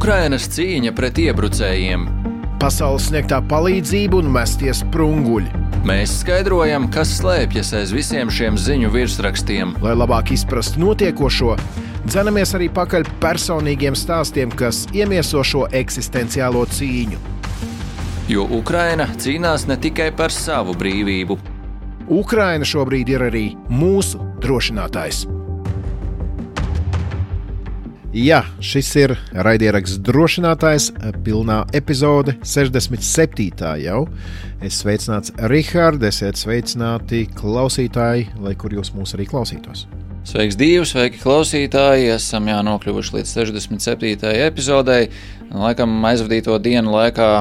Ukrainas cīņa pret iebrucējiem. Pasaules sniegtā palīdzība un mestie sprunguļi. Mēs skaidrojam, kas slēpjas aiz visiem šiem ziņu virsrakstiem. Lai labāk izprastu notiekošo, dzenamies arī pakaļ personīgiem stāstiem, kas iemieso šo eksistenciālo cīņu. Jo Ukraina cīnās ne tikai par savu brīvību. Ukraina šobrīd ir arī mūsu drošinātājs. Jā, šis ir raidieraksts Drošinātājs, pilnā epizode 67. jau. Es sveicināts Rihards, esiet sveicināti klausītāji, lai kur jūs mūs arī klausītos. Sveiks, Dīvi, sveiki klausītāji, esam nokļuvuši līdz 67. epizodei. Laikam aizvadīto dienu laikā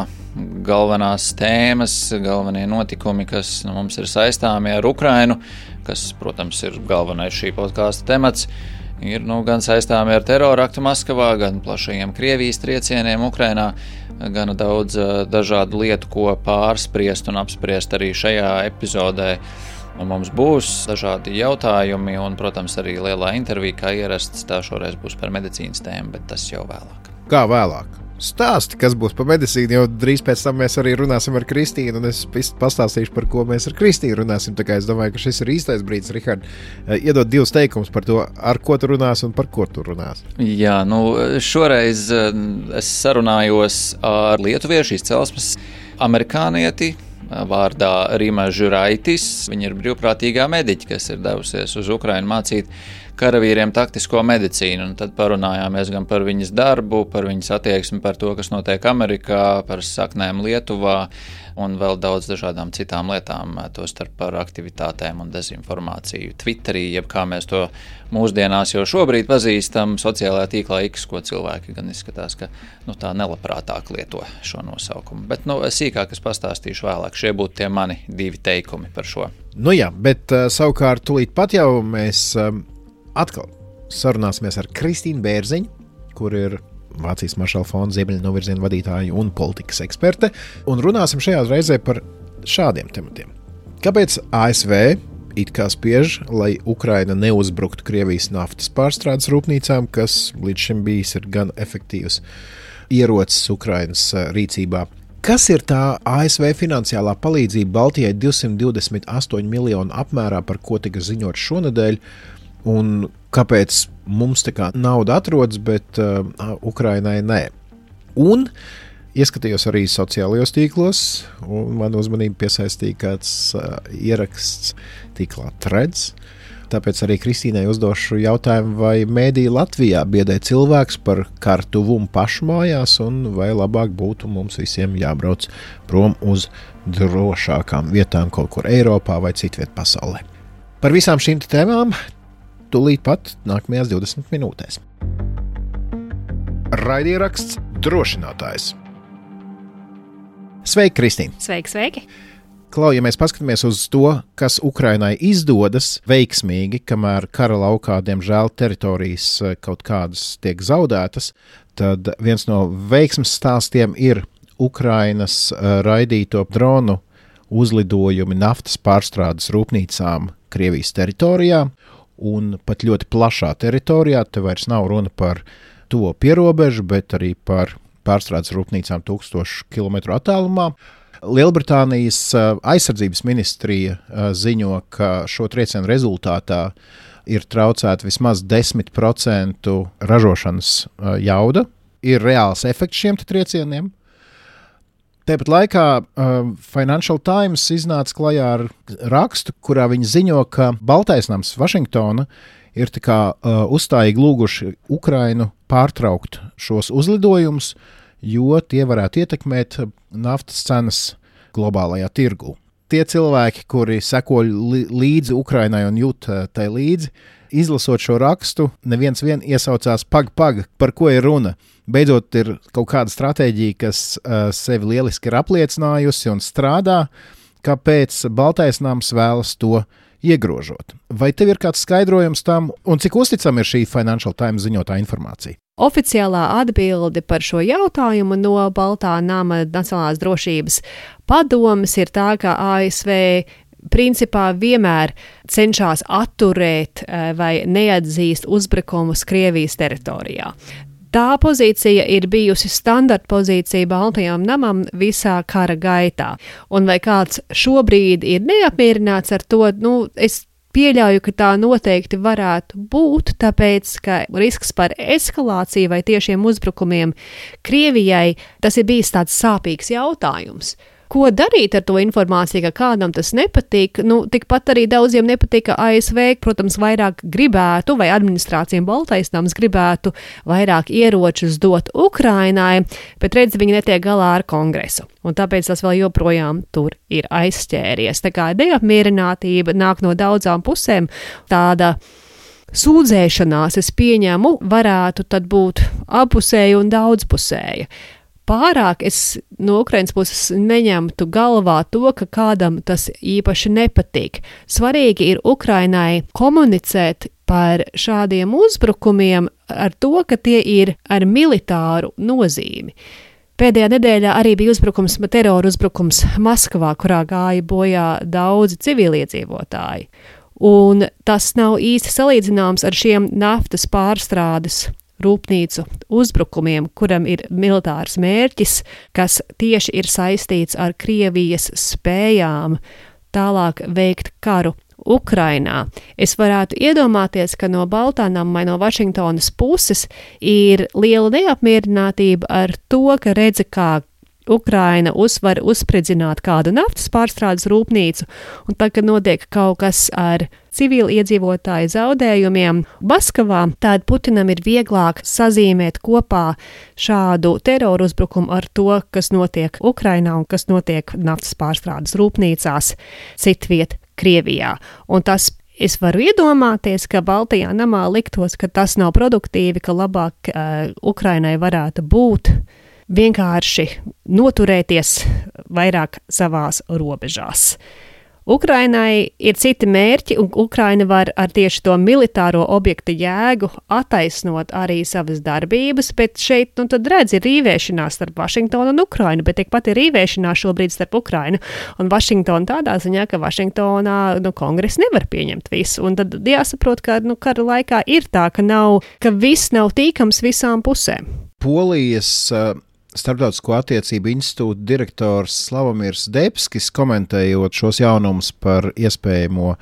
galvenās tēmas, galvenie notikumi, kas mums ir saistāmi ar Ukrainu, kas, protams, ir galvenais šī podkāsta temats, ir gan saistāmi ar teroraktu Maskavā, gan plašajiem Krievijas triecieniem Ukrainā, gan daudz dažādu lietu, ko pārspriest un apspriest arī šajā epizodē. Un mums būs dažādi jautājumi un, protams, arī lielā intervija, kā ierasts, tā šoreiz būs par medicīnas tēmu, bet tas jau vēlāk. Kā vēlāk? Stāsti, kas būs par medicīnu, jo drīz pēc tam mēs arī runāsim ar Kristīnu, un es pastāstīšu, par ko mēs ar Kristīnu runāsim. Tā kā es domāju, ka šis ir īstais brīdis, Rihard, iedot divus teikumus par to, ar ko tu runās un par ko tu runās. Jā, šoreiz es sarunājos ar lietuviešu izcelsmes amerikānieti vārdā Rima Žuraitis. Viņa ir brīvprātīgā mediķe, kas ir devusies uz Ukrainu mācīt karavīriem taktisko medicīnu, un tad parunājāmies gan par viņas darbu, par viņas attieksmi, par to, kas notiek Amerikā, par saknēm Lietuvā un vēl daudz dažādām citām lietām, tostarp par aktivitātēm un dezinformāciju Twitterī, jeb kā mēs to mūsdienās jau šobrīd pazīstam, sociālajā tīklā X, ko cilvēki gan izskatās, ka tā nelabprātāk lieto šo nosaukumu. Bet sīkāk es pastāstīšu vēlāk, šie būtu tie mani divi teikumi par šo. Jā, bet savukārt tūlīt pat jau mēs atkal sarunāsimies ar Kristīnu Bērziņu, kur ir Vācijas Maršala fonda ziemeļu novirziena vadītāja un politikas eksperte, un runāsim šajā reizē par šādiem tematiem. Kāpēc ASV it kā spiež, lai Ukraina neuzbruktu Krievijas naftas pārstrādes rūpnīcām, kas līdz šim bijis ir gan efektīvs ierocis Ukrainas rīcībā? Kas ir tā ASV finansiālā palīdzība Baltijai 228 miljonu apmērā, par ko tika ziņots šonedēļ, un kāpēc mums tā kā nauda atrodas, bet Ukrainai nē? Un ieskatījos arī sociālajos tīklos, un man uzmanību piesaistīja kāds ieraksts tīklā Threads. Tāpēc arī Kristīnai uzdošu jautājumu, vai mēdī Latvijā biedē cilvēks par kartuvumu pašu mājās, un vai labāk būtu mums visiem jābrauc prom uz drošākām vietām kaut kur Eiropā vai citviet pasaulē. Par visām šīm tēmām tūlīt pat nākamajās 20 minūtēs. Raidieraksts Drošinātājs. Sveiki, Kristīne! Sveiki! Klau, ja mēs paskatāmies uz to, kas Ukrainai izdodas veiksmīgi, kamēr kara laukā, diemžēl, teritorijas kaut kādas tiek zaudētas, tad viens no veiksmes stāstiem ir Ukrainas raidīto dronu uzlidojumi naftas pārstrādes rūpnīcām Krievijas teritorijā, un pat ļoti plašā teritorijā. Te vairs nav runa par to pierobežu, bet arī par pārstrādes rūpnīcām 1000 kilometru attālumā. Lielbritānijas aizsardzības ministrija ziņo, ka šo triecienu rezultātā ir traucēta vismaz 10% ražošanas jauda. Ir reāls efekts šiem triecieniem. Tāpat laikā Financial Times iznāca klajā ar rakstu, kurā viņi ziņo, ka Baltais nams Vašingtona ir uzstājīgi lūguši Ukrainu pārtraukt šos uzlidojumus, jo tie varētu ietekmēt naftas cenas globālajā tirgū. Tie cilvēki, kuri seko līdzi Ukrainai un jūt tai līdzi, izlasot šo rakstu, neviens iesaucās pag, par ko ir runa. Beidzot ir kaut kāda stratēģija, kas sevi lieliski ir apliecinājusi un strādā, kāpēc Baltais nams vēlas to iegrožot. Vai tev ir kāds skaidrojums tam, un cik uzticama ir šī Financial Times ziņotā informācija? Oficiālā atbilde par šo jautājumu no Baltā nama Nacionālās drošības padomes ir tā, ka ASV principā vienmēr cenšas atturēt vai neatzīst uzbrukumus Krievijas teritorijā. Tā pozīcija ir bijusi standarta pozīcija Baltajam namam visā kara gaitā. Un vai kāds šobrīd ir neapmierināts ar to, es pieļauju, ka tā noteikti varētu būt, tāpēc, ka risks par eskalāciju vai tiešiem uzbrukumiem Krievijai, tas ir bijis tāds sāpīgs jautājums. Ko darīt ar to informāciju, ka kādam tas nepatīk? Tikpat arī daudziem nepatīk, ka ASV, protams, vairāk gribētu, vai administrācijām Baltais nams gribētu vairāk ieročus dot Ukrainai, bet redz, viņi netiek galā ar kongresu. Un tāpēc tas vēl joprojām tur ir aizšķēries. Tā kā neapmierinātība nāk no daudzām pusēm, tāda sūdzēšanās, es pieņemu, varētu tad būt apusēja un daudzpusēja. Pārāk es no Ukrainas puses neņemtu galvā to, ka kādam tas īpaši nepatīk. Svarīgi ir Ukrainai komunicēt par šādiem uzbrukumiem ar to, ka tie ir ar militāru nozīmi. Pēdējā nedēļā arī bija terora uzbrukums Maskavā, kurā gāja bojā daudzi civiliedzīvotāji. Un tas nav īsti salīdzināms ar šiem naftas pārstrādes rūpnīcu uzbrukumiem, kuram ir militārs mērķis, kas tieši ir saistīts ar Krievijas spējām tālāk veikt karu Ukrainā. Es varētu iedomāties, ka no Baltā nama vai no Vašingtonas puses ir liela neapmierinātība ar to, ka redzi, kā Ukraina var uzspridzināt kādu naftas pārstrādes rūpnīcu, un tad, kad notiek kaut kas ar civili iedzīvotāju zaudējumiem Maskavā, tad Putinam ir vieglāk sazīmēt kopā šādu teroru uzbrukumu ar to, kas notiek Ukrainā un kas notiek naftas pārstrādes rūpnīcās citviet Krievijā. Un tas es varu iedomāties, ka Baltajā namā liktos, ka tas nav produktīvi, ka labāk Ukrainai varētu būt vienkārši noturēties vairāk savās robežās. Ukrainai ir citi mērķi, un Ukraina var ar tieši to militāro objektu jēgu attaisnot arī savas darbības, bet šeit, tad redz, ir rīvēšanās starp Vašingtonu un Ukrainu, bet tikpat ir rīvēšanās šobrīd starp Ukrainu un Vašingtonu tādā ziņā, ka Vašingtonā, kongress nevar pieņemt visu, un tad jāsaprot, ka, kara laikā ir tā, ka viss nav tīkams visām pusēm. Polijas Starptautisko attiecību institūta direktors Slavomīrs Debskis, komentējot šos jaunumus par iespējamo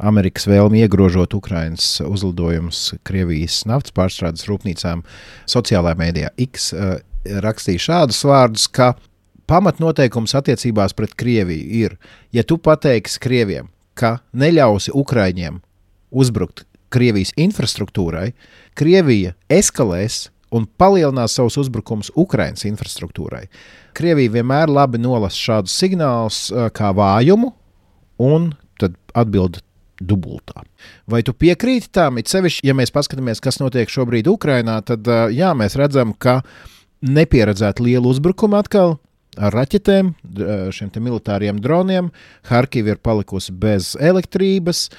Amerikas vēlmi iegrožot Ukrainas uzlidojumus Krievijas naftas pārstrādes rūpnīcām sociālajā mēdījā X, rakstīja šādus vārdus, ka pamatnoteikums attiecībās pret Krieviju ir, ja tu pateiksi Krieviem, ka neļausi Ukraiņiem uzbrukt Krievijas infrastruktūrai, Krievija eskalēs un palielinās savus uzbrukumus Ukrainas infrastruktūrai. Krievija vienmēr labi nolasa šādus signālus kā vājumu, un tad atbild dubultā. Vai tu piekrīti tām? It sevišķi, ja mēs paskatāmies, kas notiek šobrīd Ukrainā, tad jā, mēs redzam, ka nepieredzēta liela uzbrukuma atkal ar raķetēm, šiem te militāriem droniem. Harkiva ir palikusi bez elektrības.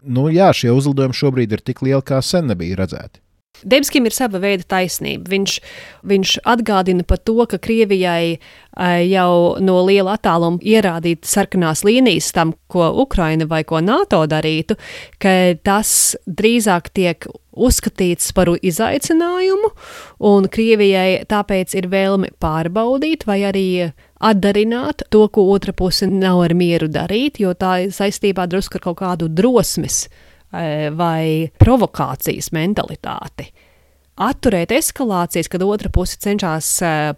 Jā, šie uzlidojumi šobrīd ir tik lieli, kā sen nebija redzēti. Debskim ir sava veida taisnība. Viņš atgādina par to, ka Krievijai jau no liela attāluma ierādīt sarkanās līnijas tam, ko Ukraina vai ko NATO darītu, ka tas drīzāk tiek uzskatīts par izaicinājumu, un Krievijai tāpēc ir vēlme pārbaudīt vai arī atdarināt to, ko otra puse nav ar mieru darīt, jo tā ir saistībā drusku ar kaut kādu drosmes vai provokācijas mentalitāti. Atturēt eskalācijas, kad otra puse cenšas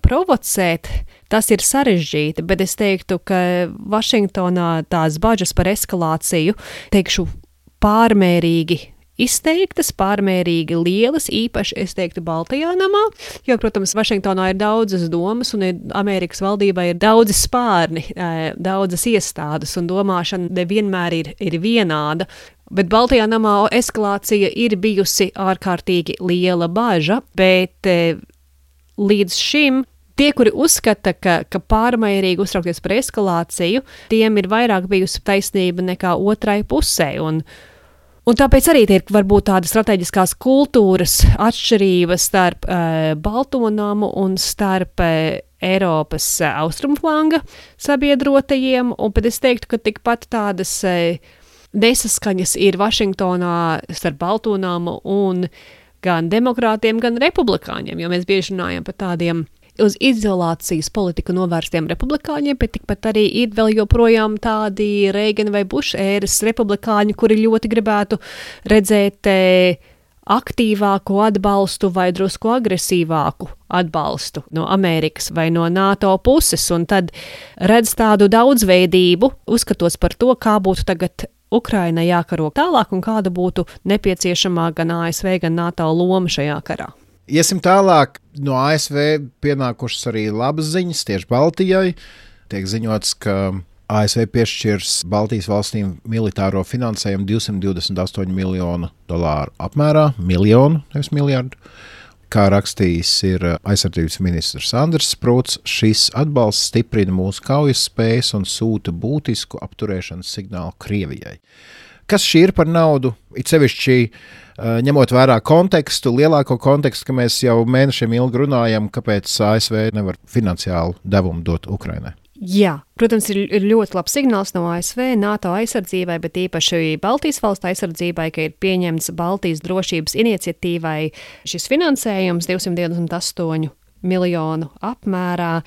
provocēt, tas ir sarežģīti, bet es teiktu, ka Vašingtonā tās bažas par eskalāciju, teikšu, pārmērīgi izteiktas, pārmērīgi lielas, īpaši, es teiktu, Baltajā namā, jo, protams, Vašingtonā ir daudzas domas un Amerikas valdībā ir daudzi spārni, daudzas iestādes un domāšana nevienmēr ir vienāda. Bet Baltajā namā eskalācija ir bijusi ārkārtīgi liela baža, bet līdz šim tie, kuri uzskata, ka pārmērīgi uztraukties par eskalāciju, tiem ir vairāk bijusi taisnība nekā otrai pusē. Un tāpēc arī ir varbūt tādas strateģiskās kultūras atšķirības starp Balto namu un starp Eiropas austrumflanga sabiedrotajiem, un pat es teiktu, ka tikpat tādas nesaskaņas ir Vašingtonā starp Balto namu un gan demokrātiem, gan republikāņiem, jo mēs bieži runājam par tādiem uz izolācijas politiku novērstiem republikāņiem, bet tikpat arī ir vēl joprojām tādi Reigana vai Buša ēras republikāņi, kuri ļoti gribētu redzēt aktīvāku atbalstu vai drusku agresīvāku atbalstu no Amerikas vai no NATO puses, un tad redz tādu daudzveidību, uzskatos par to, kā būtu tagad Ukrainai jākaro tālāk un kāda būtu nepieciešamā gan ASV, gan NATO loma šajā karā. Iesim tālāk. No ASV pienākušas arī labas ziņas tieši Baltijai. Tiek ziņots, ka ASV piešķirs Baltijas valstīm militāro finansējumu $228 miljonu apmērā, nevis miljardu. Kā rakstījis ir aizsardzības ministrs Andris Sprūts, šis atbalsts stiprina mūsu kaujas spējas un sūta būtisku apturēšanas signālu Krievijai. Kas šī ir par naudu? It sevišķi ņemot vērā kontekstu, lielāko kontekstu, ka mēs jau mēnešiem ilgi runājam, kāpēc ASV nevar finansiālu devumu dot Ukrainai. Jā, protams, ir ļoti labs signāls no ASV, NATO aizsardzībai, bet īpaši Baltijas valstu aizsardzībai, ka ir pieņemts Baltijas drošības iniciatīvai šis finansējums 228 miljonu apmērā.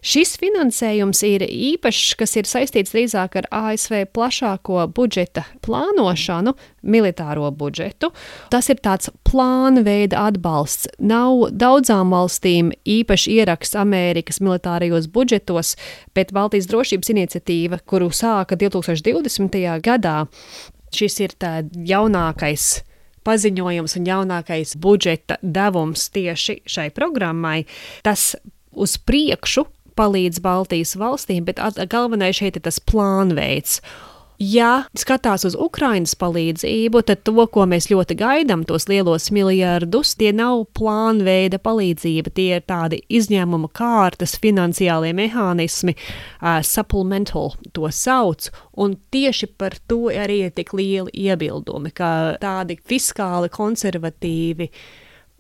Šis finansējums ir īpašs, kas ir saistīts drīzāk ar ASV plašāko budžeta plānošanu, militāro budžetu. Tas ir tāds plāna veida atbalsts. Nav daudzām valstīm īpaši ieraksts Amerikas militārajos budžetos, bet Baltijas drošības iniciatīva, kuru sāka 2020. gadā, šis ir tā jaunākais paziņojums un jaunākais budžeta devums tieši šai programmai, tas uz priekšu palīdz Baltijas valstīm, bet galvenais šeit ir tas plānveids. Ja skatās uz Ukrainas palīdzību, tad to, ko mēs ļoti gaidām, tos lielos miljardus, tie nav plānveida palīdzība, tie ir tādi izņēmuma kārtas, finansiālie mehānismi, supplemental to sauc, un tieši par to arī ir tik lieli iebildumi, ka tādi fiskāli konservatīvi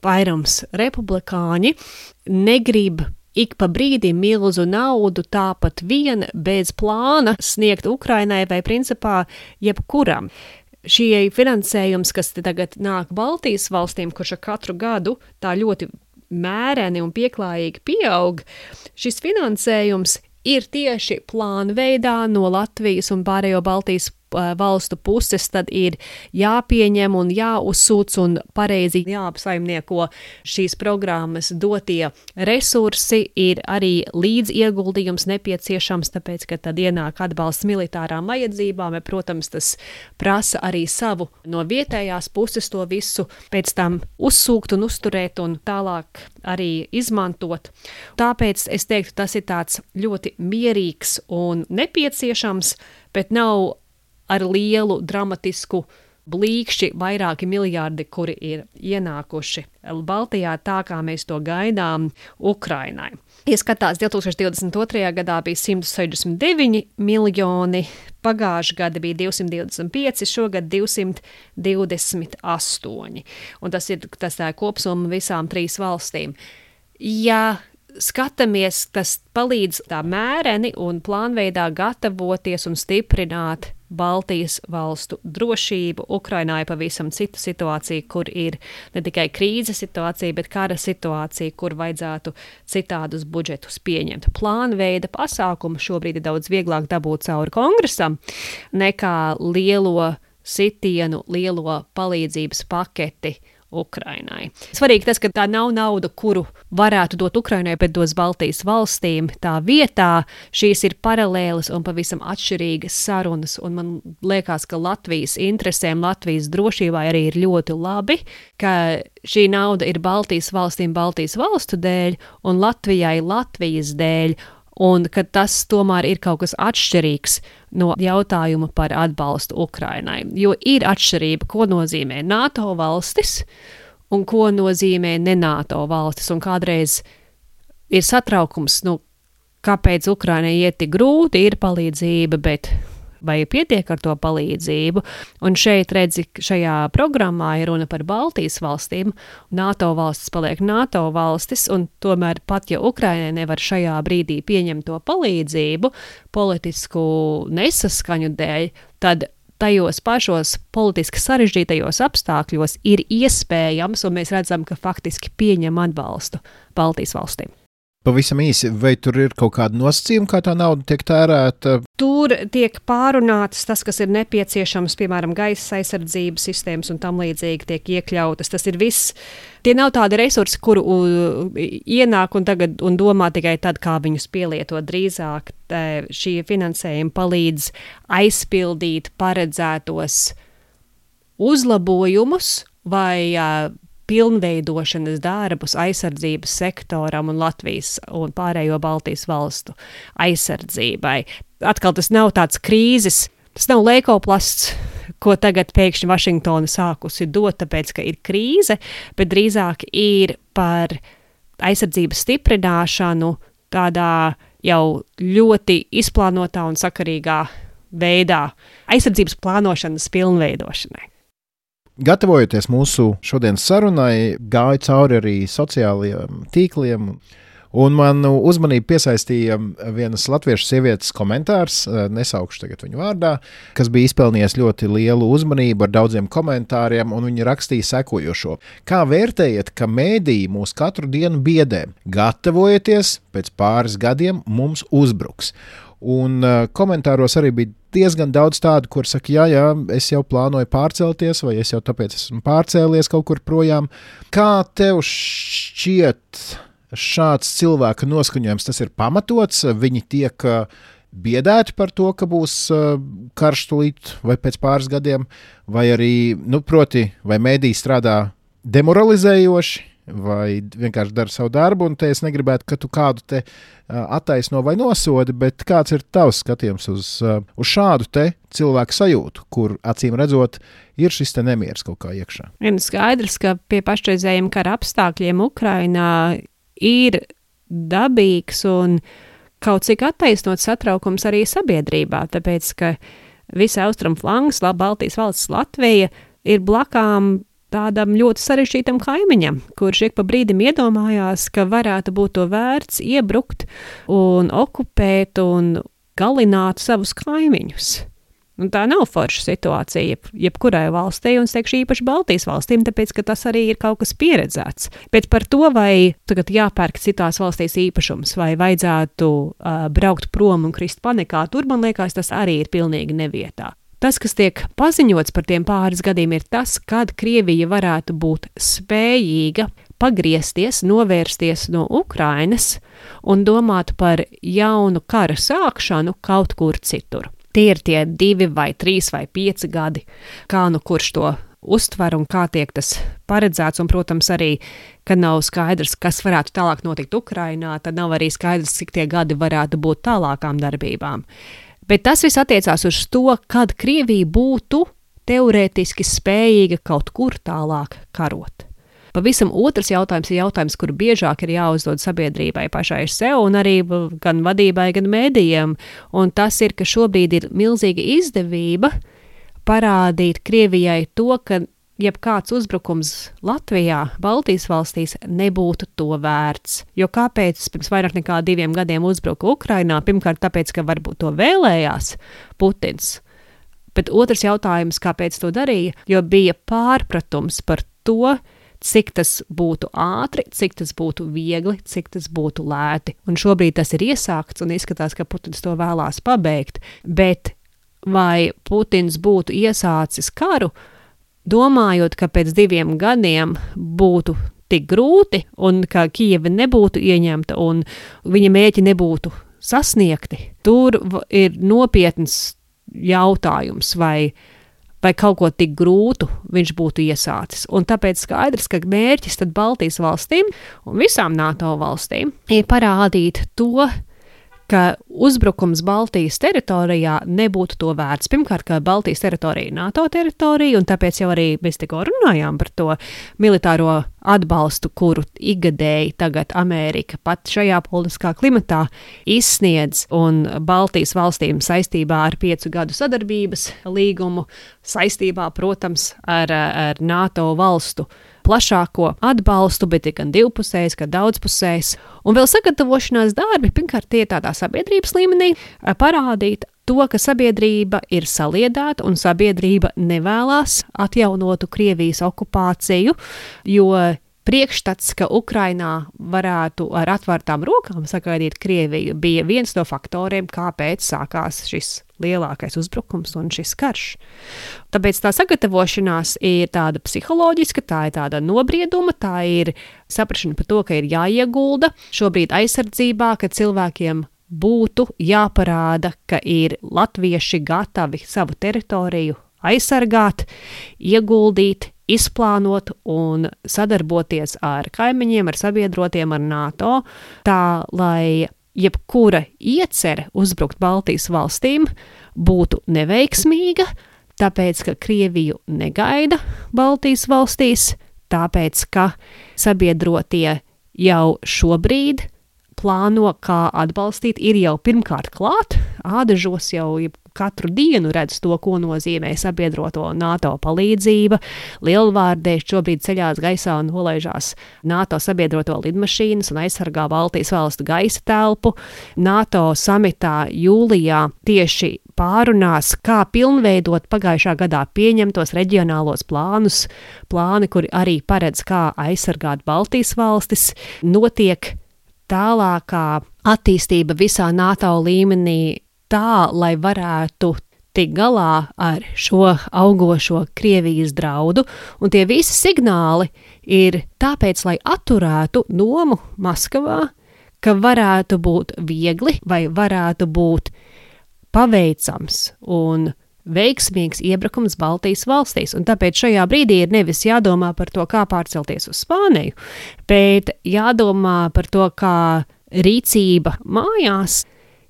vairums republikāņi negrib ik pa brīdim milzu naudu tāpat vien bez plāna sniegt Ukrainai vai principā jebkuram. Šie finansējums, kas tagad nāk Baltijas valstīm, kurš ar katru gadu tā ļoti mēreni un pieklājīgi pieaug, šis finansējums ir tieši plānveidā no Latvijas un pārējo Baltijas valstu puses, tad ir jāpieņem un jāuzsūc un pareizi jāapsaimnieko šīs programmas dotie resursi, ir arī līdzieguldījums nepieciešams, tāpēc, ka tad ienāk atbalsts militārām vajadzībām, protams, tas prasa arī savu no vietējās puses to visu pēc tam uzsūkt un uzturēt un tālāk arī izmantot. Tāpēc es teiktu, tas ir tāds ļoti mierīgs un nepieciešams, bet nav ar lielu dramatisku blīkšķi vairāki miljardi, kuri ir ienākuši Baltijā tā, kā mēs to gaidām Ukrainai. Ja skatās, 2022. gadā bija 169 miljoni, pagājušā gada bija 225, šogad 228. Un tas ir tā kopsumma visām 3 valstīm. Ja skatāmies, tas palīdz tā mēreni un plānveidā gatavoties un stiprināt Baltijas valstu drošību. Ukrainā ir pavisam cita situācija, kur ir ne tikai krīzes situācija, bet kara situācija, kur vajadzētu citādus budžetus pieņemt. Plānveida pasākumu šobrīd ir daudz vieglāk dabūt cauri kongresam nekā lielo sitienu, lielo palīdzības paketi Ukrainai. Svarīgi tas, ka tā nav nauda, kuru varētu dot Ukrainai, bet dos Baltijas valstīm. Tā vietā šīs ir paralēlas un pavisam atšķirīgas sarunas, un man liekas, ka Latvijas interesēm, Latvijas drošībai arī ir ļoti labi, ka šī nauda ir Baltijas valstīm Baltijas valstu dēļ un Latvijai Latvijas dēļ, un ka tas tomēr ir kaut kas atšķirīgs no jautājuma par atbalstu Ukrainai. Jo ir atšķirība, ko nozīmē NATO valstis un ko nozīmē ne NATO valstis. Un kādreiz ir satraukums, kāpēc Ukrainai iet tik grūti, ir palīdzība, bet vai pietiek ar to palīdzību? Un šeit redzi, šajā programmā ir runa par Baltijas valstīm. NATO valstis paliek NATO valstis, un tomēr pat, ja Ukrainai nevar šajā brīdī pieņemt to palīdzību politisku nesaskaņu dēļ, tad tajos pašos politiski sarežģītajos apstākļos ir iespējams, un mēs redzam, ka faktiski pieņem atbalstu Baltijas valstīm. Pavisam īsi, vai tur ir kaut kāda nosacījuma, kā tā nauda tiek tērēta? Tur tiek pārunātas tas, kas ir nepieciešams, piemēram, gaisa aizsardzības sistēmas un tam līdzīgi tiek iekļautas. Tas ir viss. Tie nav tādi resursi, kuru ienāk un domā tikai tad, kā viņus pielietot. Drīzāk šie finansējumi palīdz aizpildīt paredzētos uzlabojumus vai pilnveidošanas darbus aizsardzības sektoram un Latvijas un pārējo Baltijas valstu aizsardzībai. Atkal tas nav tāds krīzes, tas nav leikoplasts, ko tagad pēkšņi Vašingtona sākusi dot, tāpēc, ka ir krīze, bet drīzāk ir par aizsardzības stiprināšanu tādā jau ļoti izplānotā un sakarīgā veidā aizsardzības plānošanas pilnveidošanai. Gatavojoties mūsu šodienas sarunai, gāju cauri arī sociālajiem tīkliem, un manu uzmanību piesaistīja vienas latviešu sievietes komentārs, nesaukšu tagad viņu vārdā, kas bija izpelnījis ļoti lielu uzmanību ar daudziem komentāriem, un viņa rakstīja sekojošo. Kā vērtējat, ka mēdīji mūs katru dienu biedē? Gatavojieties, pēc pāris gadiem mums uzbruks. Un komentāros arī bija diezgan daudz tādu, kur saka, jā, es jau plānoju pārcelties, vai es jau tāpēc esmu pārcēlies kaut kur projām. Kā tev šķiet šāds cilvēka noskaņojums, tas ir pamatots? Viņi tiek biedēti par to, ka būs karš tūlīt vai pēc pāris gadiem, vai arī, proti, vai mēdī strādā demoralizējoši, vai vienkārši dara savu darbu, un te es negribētu, ka tu kādu te attaisno vai nosodi, bet kāds ir tavs skatījums uz šādu te cilvēku sajūtu, kur acīm redzot ir šis te nemieris kaut kā iekšā? Ir skaidrs, ka pie pašreizējiem kara apstākļiem Ukrainā ir dabīgs un kaut cik attaisnots satraukums arī sabiedrībā, tāpēc, ka visa austrumu flangas, Baltijas valsts Latvija ir blakām tādam ļoti sarežģītam kaimiņam, kurš ik pa brīdim iedomājās, ka varētu būt to vērts iebrukt un okupēt un galināt savus kaimiņus. Un tā nav forša situācija jebkurai valstī, un es teikšu īpaši Baltijas valstīm, tāpēc, ka tas arī ir kaut kas pieredzēts. Bet par to, vai tagad jāpērk citās valstīs īpašums, vai vajadzētu braukt prom un krist panikā, tur, man liekas, tas arī ir pilnīgi nevietā. Tas, kas tiek paziņots par tiem pāris gadiem, ir tas, kad Krievija varētu būt spējīga pagriezties, novērsties no Ukrainas un domāt par jaunu kara sākšanu kaut kur citur. Tie ir tie 2 vai 3 vai 5 gadi, kā kurš to uztver un kā tiek tas paredzēts, un, protams, arī, kad nav skaidrs, kas varētu tālāk notikt Ukrainā, tad nav arī skaidrs, cik tie gadi varētu būt tālākām darbībām. Bet tas viss attiecās uz to, kad Krievija būtu teorētiski spējīga kaut kur tālāk karot. Pavisam otrs jautājums ir jautājums, kur biežāk ir jāuzdod sabiedrībai pašai sev un arī gan vadībai, gan mēdījiem. Un tas ir, ka šobrīd ir milzīga izdevība parādīt Krievijai to, ka jebkāds uzbrukums Latvijā, Baltijas valstīs nebūtu to vērts. Jo kāpēc pirms vairāk nekā 2 gadiem uzbruka Ukrainā? Pirmkārt, tāpēc, ka varbūt to vēlējās Putins. Bet otrs jautājums, kāpēc to darīja, jo bija pārpratums par to, cik tas būtu ātri, cik tas būtu viegli, cik tas būtu lēti. Un šobrīd tas ir iesākts un izskatās, ka Putins to vēlās pabeigt. Bet vai Putins būtu iesācis karu, domājot, ka pēc 2 gadiem būtu tik grūti un ka Kijeva nebūtu ieņemta un viņa mērķi nebūtu sasniegti, tur ir nopietns jautājums, vai kaut ko tik grūtu viņš būtu iesācis. Un tāpēc skaidrs, ka mērķis tad Baltijas valstīm un visām NATO valstīm ir parādīt to, ka uzbrukums Baltijas teritorijā nebūtu to vērts. Pirmkārt, ka Baltijas teritorija ir NATO teritorija, un tāpēc jau arī mēs tikko runājām par to militāro atbalstu, kuru ikgadēji tagad Amerika pat šajā politiskā klimatā izsniedz, un Baltijas valstīm saistībā ar 5 gadu sadarbības līgumu, saistībā, protams, ar NATO valstu plašāko atbalstu, bet ir gan divpusējs, gan daudzpusējs. Un vēl sagatavošanās darbi, pirmkārt, tie tādā sabiedrības līmenī parādīt to, ka sabiedrība ir saliedēta un sabiedrība nevēlas atjaunotu Krievijas okupāciju, jo priekšstats, ka Ukrainā varētu ar atvērtām rokām sagaidīt Krieviju, bija viens no faktoriem, kāpēc sākās šis lielākais uzbrukums un šis karš. Tāpēc tā sagatavošanās ir tāda psiholoģiska, tā ir tāda nobrieduma, tā ir saprašana par to, ka ir jāiegulda šobrīd aizsardzībā, ka cilvēkiem būtu jāparāda, ka ir latvieši gatavi savu teritoriju aizsargāt, ieguldīt, izplānot un sadarboties ar kaimiņiem, ar sabiedrotiem, ar NATO, tā, lai jebkura iecere uzbrukt Baltijas valstīm būtu neveiksmīga, tāpēc, ka Krieviju negaida Baltijas valstīs, tāpēc, ka sabiedrotie jau šobrīd plāno, kā atbalstīt, ir jau pirmkārt klāt, ādažos jau katru dienu redz to, ko nozīmē sabiedroto NATO palīdzība. Lielvārdē šobrīd ceļās gaisā un nolaižās NATO sabiedroto lidmašīnas un aizsargā Baltijas valstu gaisa telpu. NATO samitā jūlijā tieši pārunās, kā pilnveidot pagājušā gadā pieņemtos reģionālos plāni, kuri arī paredz, kā aizsargāt Baltijas valstis. Notiek tālākā attīstība visā NATO līmenī tā, lai varētu tikt galā ar šo augošo Krievijas draudu, un tie visi signāli ir tāpēc, lai atturētu domu Maskavā, ka varētu būt viegli vai varētu būt paveicams un veiksmīgs iebrukums Baltijas valstīs, un tāpēc šajā brīdī ir nevis jādomā par to, kā pārcelties uz Spāniju, bet jādomā par to, kā rīcība mājās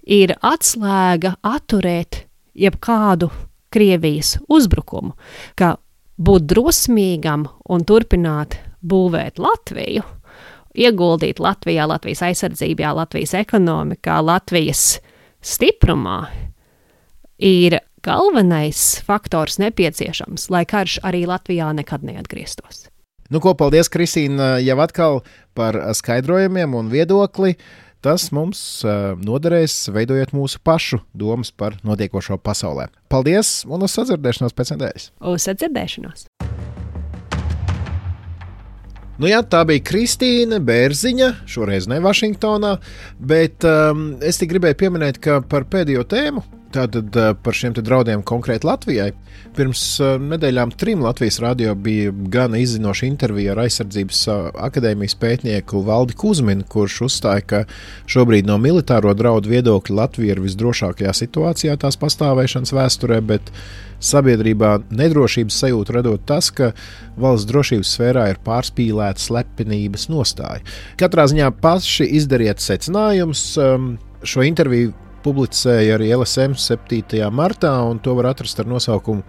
ir atslēga atturēt jebkādu Krievijas uzbrukumu, ka būt drosmīgam un turpināt būvēt Latviju, ieguldīt Latvijā, Latvijas aizsardzībā, Latvijas ekonomikā, Latvijas stiprumā, ir galvenais faktors nepieciešams, lai karš arī Latvijā nekad neatgrieztos. Nu, ko, paldies, Kristīna, jau atkal par skaidrojumiem un viedokli. Tas mums noderēs, veidojot mūsu pašu domas par notiekošo pasaulē. Paldies un uz sadzirdēšanos pēc nedēļas. Uz sadzirdēšanos. Nu jā, tā bija Kristīna Bērziņa, šoreiz ne Vašingtonā, bet es tik gribēju pieminēt, ka par pēdējo tēmu, tātad par šiem te draudiem konkrēti Latvijai, pirms nedēļām 3 Latvijas radio bija gana izzinoša intervija ar aizsardzības akadēmijas pētnieku Valdi Kuzminu, kurš uzstāja, ka šobrīd no militāro draudu viedokļa Latvija ir visdrošākajā situācijā tās pastāvēšanas vēsturē, bet sabiedrībā nedrošības sajūtu radot tas, ka valsts drošības sfērā ir pārspīlēta slepenības nostāja. Katrā ziņā paši izdariet secinājumus. Šo interviju publicēja arī LSM 7. martā, un to var atrast ar nosaukumu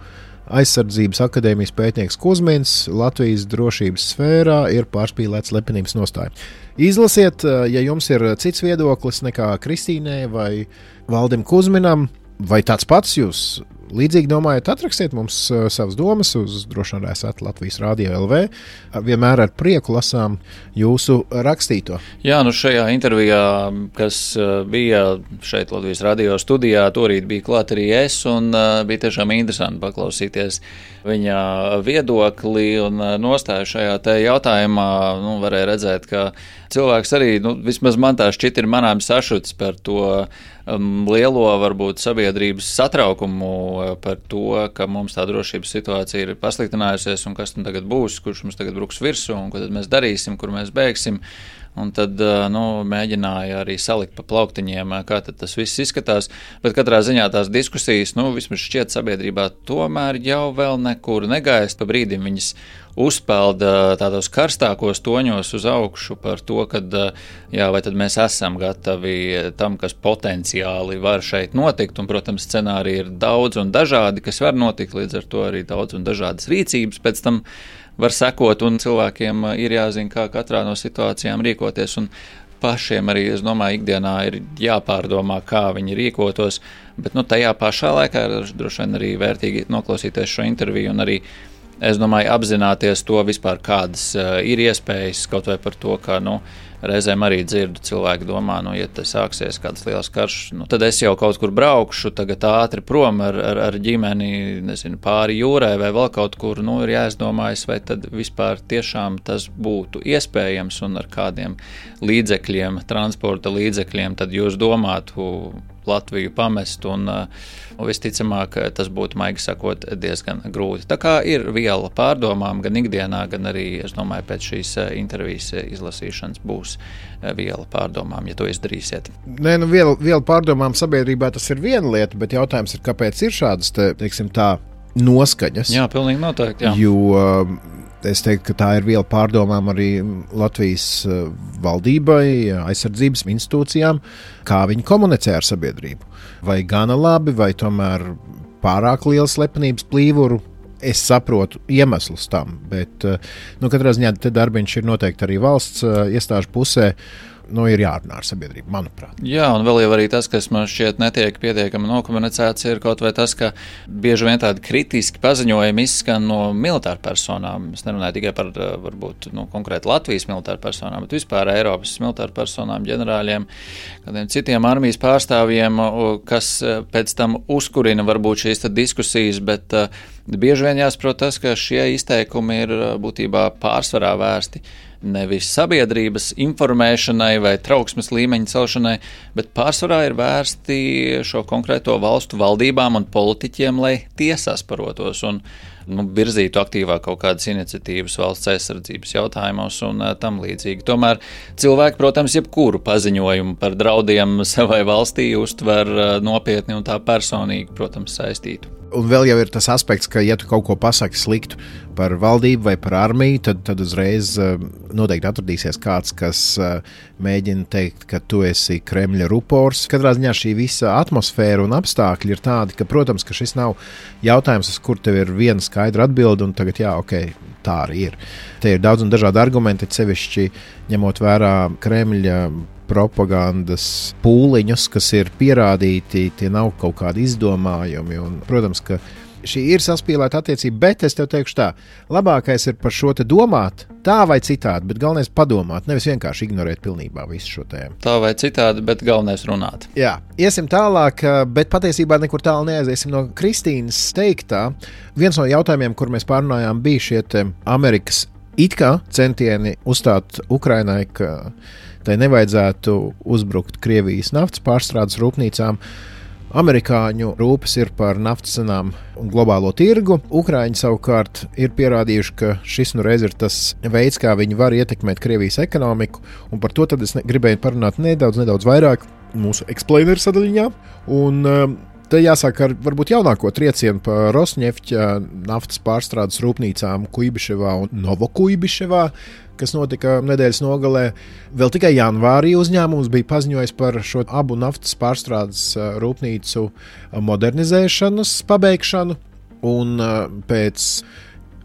Aizsardzības akadēmijas pētnieks Kuzmins Latvijas drošības sfērā ir pārspīlēts slepenības nostāja. Izlasiet, ja jums ir cits viedoklis nekā Kristīnai vai Valdim Kuzminam, vai tāds pats jūs līdzīgi domājat, atrakstiet mums savas domas uz drošinājās@Latvijas Radio LV. Vienmēr ar prieku lasām jūsu rakstīto. Jā, nu šajā intervijā, kas bija šeit Latvijas radio studijā, torīt bija klāt arī es, un bija tiešām interesanti paklausīties viņa viedokli un nostāju šajā te jautājumā. Nu, varēja redzēt, ka cilvēks arī, vismaz man tā šķiet, ir manām sašuts par to lielo, varbūt, sabiedrības satraukumu par to, ka mums tā drošības situācija ir pasliktinājusies un kas tagad būs, kurš mums tagad bruks virsū un ko tad mēs darīsim, kur mēs beigsim. Un tad mēģināja arī salikt pa plauktiņiem, kā tad tas viss izskatās. Bet katrā ziņā tās diskusijas, vismaz šķiet sabiedrībā, tomēr jau vēl nekur negaist. Pa brīdim viņas uzpelda tādos karstākos toņos uz augšu par to, kad, vai tad mēs esam gatavi tam, kas potenciāli var šeit notikt. Un, protams, scenāriji ir daudz un dažādi, kas var notikt, līdz ar to arī daudz un dažādas rīcības pēc tam var sekot, un cilvēkiem ir jāzina, kā katrā no situācijām rīkoties, un pašiem arī, es domāju, ikdienā ir jāpārdomā, kā viņi rīkotos, bet tajā pašā laikā ir droši vien arī vērtīgi noklausīties šo interviju un arī es domāju, apzināties to vispār, kādas ir iespējas, kaut vai par to, kā, reizēm arī dzirdu cilvēki domā, ja te sāksies kāds liels karš, tad es jau kaut kur braukšu, tagad ātri prom ar ģimeni, nezinu, pāri jūrai vai vēl kaut kur, ir jāizdomājas, vai tad vispār tiešām tas būtu iespējams un ar kādiem līdzekļiem, transporta līdzekļiem, tad jūs domātu Latviju pamest un visticamāk tas būtu, maigi sakot, diezgan grūti. Tā kā ir viela pārdomām gan ikdienā, gan arī, es domāju, pēc šīs intervijas izlasīšanas būs viela pārdomām, ja to izdarīsiet. Nē, viela pārdomām sabiedrībā tas ir viena lieta, bet jautājums ir, kāpēc ir šādas, teiksim tā, noskaņas? Jā, pilnīgi noteikti, jā. Jo es teiktu, ka tā ir viela pārdomām arī Latvijas valdībai, aizsardzības institūcijām, kā viņi komunicē ar sabiedrību. Vai gana labi, vai tomēr pārāk liela slepenības plīvuru. Es saprotu iemeslus tam, bet katrā ziņā te darbiņš ir noteikti arī valsts iestāžu pusē. Ir jārunā ar sabiedrību, manuprāt. Jā, un vēl jau arī tas, kas man šķiet netiek pietiekami nokomunicēts, ir kaut vai tas, ka bieži vien tādi kritiski paziņojumi izskan no militāru personām. Es nerunāju tikai par, varbūt, konkrēti Latvijas militāru personām, bet vispār Eiropas militāru personām, ģenerāļiem, kādiem citiem armijas pārstāvjiem, kas pēc tam uzkurina varbūt šīs diskusijas, bet bieži vien jāsaprot tas, ka šie izteikumi ir būtībā pārsvarā vērsti nevis sabiedrības informēšanai vai trauksmes līmeņa celšanai, bet pārsvarā ir vērsti šo konkrēto valstu valdībām un politiķiem, lai tie sasparotos un virzītu aktīvāk kaut kādas iniciatīvas valsts aizsardzības jautājumos un tam līdzīgi. Tomēr cilvēki, protams, jebkuru paziņojumu par draudiem savai valstī uztver nopietni un tā personīgi, protams, saistītu. Un vēl jau ir tas aspekts, ka, ja tu kaut ko pasaki sliktu par valdību vai par armiju, tad uzreiz noteikti atradīsies kāds, kas mēģina teikt, ka tu esi Kremļa rupors. Katrā ziņā šī visa atmosfēra un apstākļi ir tādi, ka, protams, ka šis nav jautājums, uz kur tev ir viena skaidra atbilde, un tagad, jā, ok, tā arī ir. Te ir daudz un dažādi argumenti, sevišķi ņemot vērā Kremļa propagandas pūliņus, kas ir pierādīti, tie nav kaut kādi izdomājumi. Un, protams, ka šī ir saspīlēta attiecība, bet es tev teikšu tā, labākais ir par šo te domāt tā vai citādi, bet galvenais padomāt, nevis vienkārši ignorēt pilnībā visu šo tēmu. Tā vai citādi, bet galvenais runāt. Jā, iesim tālāk, bet patiesībā nekur tālu neaiziesim no Kristīnas teiktā. Viens no jautājumiem, kur mēs pārunājām, bija šie te Amerikas it kā centieni uzstāt Ukrainai, ka tai nevajadzētu uzbrukt Krievijas naftas pārstrādes rūpnīcām. Amerikāņu rūpes ir par naftas cenām un globālo tirgu. Ukraiņi savukārt ir pierādījuši, ka šis reiz ir tas veids, kā viņi var ietekmēt Krievijas ekonomiku, un par to tad es gribēju parunāt nedaudz vairāk mūsu explainer sadaļiņā. Un te jāsāk ar varbūt jaunāko triecienu par Rosnefķa naftas pārstrādes rūpnīcām Kuibiševā un Novokuibiševā, kas notika nedēļas nogalē. Vēl tikai janvārī uzņēmums bija paziņojis par šo abu naftas pārstrādes rūpnīcu modernizēšanas pabeigšanu, un pēc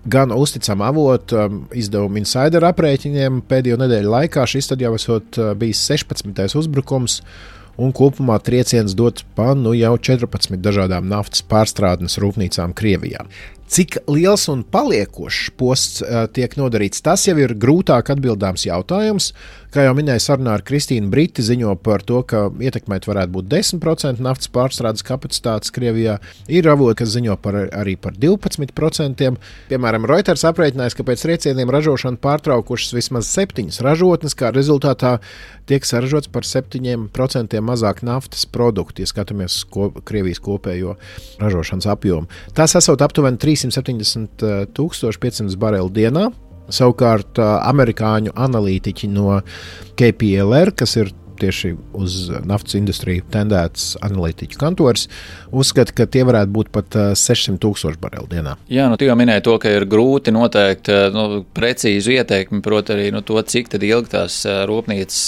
gan uzticama avota izdevuma Insider aprēķiniem pēdējo nedēļu laikā šis tad jau esot bijis 16. uzbrukums, un kopumā trieciens dot pa jau 14 dažādām naftas pārstrādes rūpnīcām Krievijā. Cik liels un paliekošs posts tiek nodarīts, tas jau ir grūtāk atbildāms jautājums. Kā jau minēju sarunā ar Kristīnu, Briti ziņo par to, ka ietekmēt varētu būt 10% naftas pārstrādes kapacitātes Krievijā. Ir avoti, kas ziņo arī par 12%. Piemēram, Reuters aprēķinājis, ka pēc triecieniem ražošanu pārtraukušas vismaz 7 ražotnes, kā rezultātā tiek saražots par 7% mazāk naftas produktu, ja skatāmies Krievijas kopējo ražošanas apjomu. Tas esot aptuveni 370 500 bareli dienā. Savukārt amerikāņu analītiķi no KPLR, kas ir tieši uz naftas industriju tendēts analītiķu kantors, uzskata, ka tie varētu būt pat 600 000 bareli dienā. Jā, tu jau minēji to, ka ir grūti noteikt precīzu ieteikumu, proti arī to, cik tad ilgi tās rūpnīcas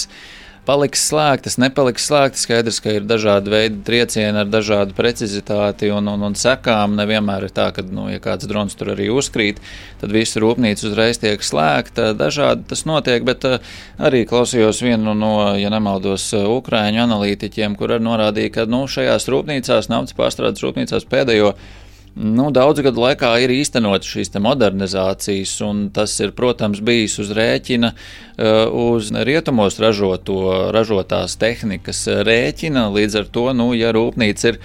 paliks slēgtas, nepaliks slēgtas. Skaidrs, ka ir dažādi veidi triecieni ar dažādu precizitāti un sekām. Nevienmēr ir tā, ka, ja kāds drons tur arī uzkrīt, tad visa rūpnīca uzreiz tiek slēgta. Dažādi tas notiek, bet arī klausījos vienu no, ja nemaldos, ukraiņu analītiķiem, kur arī norādīja, ka šajās rūpnīcās, naftas pārstrādes rūpnīcās pēdējo Daudzu gadu laikā ir īstenot šīs modernizācijas, un tas ir, protams, bijis uz rēķina, uz rietumos ražotās tehnikas rēķina. Līdz ar to, ja rūpnīca ir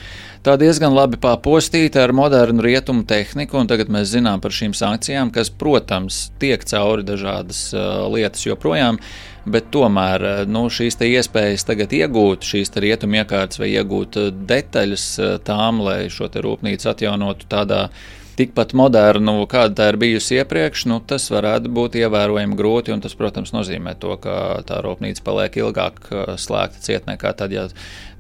tā diezgan labi papostīta ar modernu rietumu tehniku, un tagad mēs zinām par šīm sankcijām, kas, protams, tiek cauri dažādas lietas joprojām, bet tomēr šīs iespējas tagad iegūt šīs rietumu iekārtas vai iegūt detaļas tām, lai šo rūpnīcu atjaunotu tādā tikpat modernu, kāda tā ir bijusi iepriekš, tas varētu būt ievērojami grūti, un tas, protams, nozīmē to, ka tā rūpnīca paliek ilgāk slēgta ciet nekā tad, ja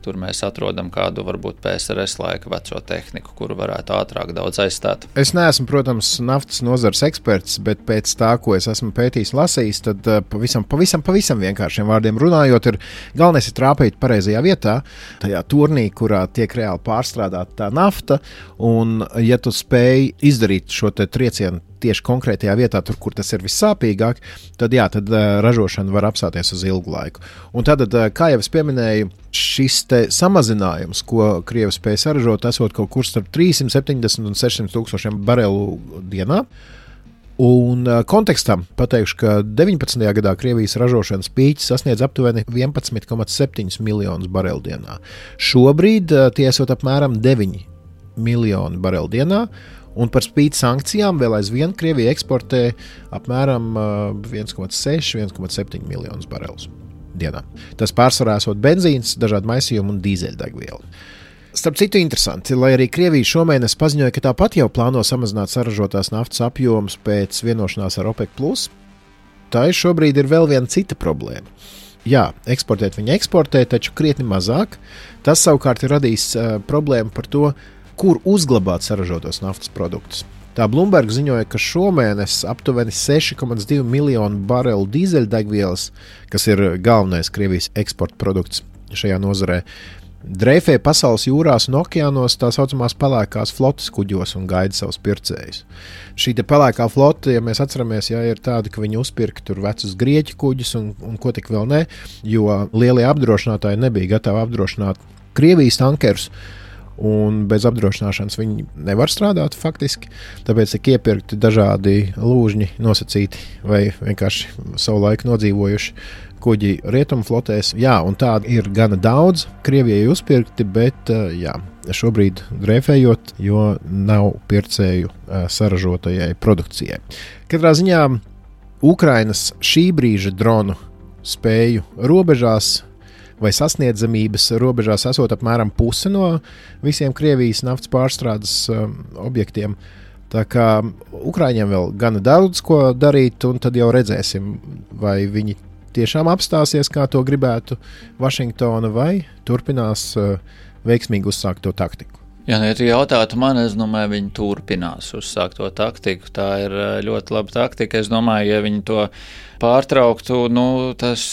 tur mēs atrodam kādu varbūt PSRS laika veco tehniku, kuru varētu ātrāk daudz aizstāt. Es neesmu, protams, naftas nozares eksperts, bet pēc tā, ko es esmu pētījis, lasījis, tad pavisam vienkāršiem vārdiem runājot, galvenais ir trāpīt pareizajā vietā, tajā turnī, kurā tiek reāli pārstrādāta tā nafta, un ja tu spēj izdarīt šo triecienu tieši konkrētajā vietā, tur, kur tas ir vissāpīgāk, tad ražošana var apstāties uz ilgu laiku. Un tad, kā jau es pieminēju, šis samazinājums, ko Krievi spēja saražot, esot kaut kur starp 370 un 600 tūkstošiem barelu dienā. Un kontekstam pateikšu, ka 19. gadā Krievijas ražošanas pīķis sasniedz aptuveni 11,7 miljonus barelu dienā. Šobrīd tie esot apmēram 9 miljoni barelu dienā, un par spīti sankcijām vēl aizvien Krievija eksportē apmēram 1,6–1,7 miljonus barelus dienā. Tas pārsvarā esot benzīns, dažādi maisījumi un dīzeļdegviela. Starp citu interesanti, lai arī Krievija šomēnes paziņoja, ka tāpat jau plāno samazināt saražotās naftas apjomus pēc vienošanās ar OPEC+, tā šobrīd ir vēl viena cita problēma. Jā, eksportēt viņi eksportē, taču krietni mazāk. Tas savukārt ir radījis problēmu par to, kur uzglabāt saražotos naftas produktus. Tā Bloomberg ziņoja, ka šomēnes aptuveni 6,2 miljonu barelu dīzeļdegvielas, kas ir galvenais Krievijas eksporta produkts šajā nozarē, dreifē pasaules jūrās un okeānos tā saucamās pelēkās flotes kuģos un gaida savus pircējus. Šī pelēkā flote, ja mēs atceramies, ir tāda, ka viņi uzpirka tur vecus grieķu kuģus un ko tik vēl ne, jo lielie apdrošinātāji nebija gatavi apdrošināt Krievijas tankerus, un bez apdrošināšanas viņi nevar strādāt faktiski, tāpēc tiek iepirkti dažādi lūžņi nosacīti vai vienkārši savu laiku nodzīvojuši kuģi rietumu flotēs. Jā, un tādi ir gana daudz Krievijai uzpirkti, bet šobrīd dreifējot, jo nav pircēju saražotajai produkcijai. Katrā ziņā Ukrainas šī brīža dronu spēju robežās vai sasniedzamības robežās esot apmēram pusi no visiem Krievijas naftas pārstrādes objektiem. Tā kā Ukraiņiem vēl gana daudz ko darīt, un tad jau redzēsim, vai viņi tiešām apstāsies, kā to gribētu Vašingtona, vai turpinās veiksmīgi uzsākt to taktiku. Ja jautātu man, es domāju, viņi turpinās uzsākt to taktiku. Tā ir ļoti laba taktika. Es domāju, ja viņi to pārtrauktu, tas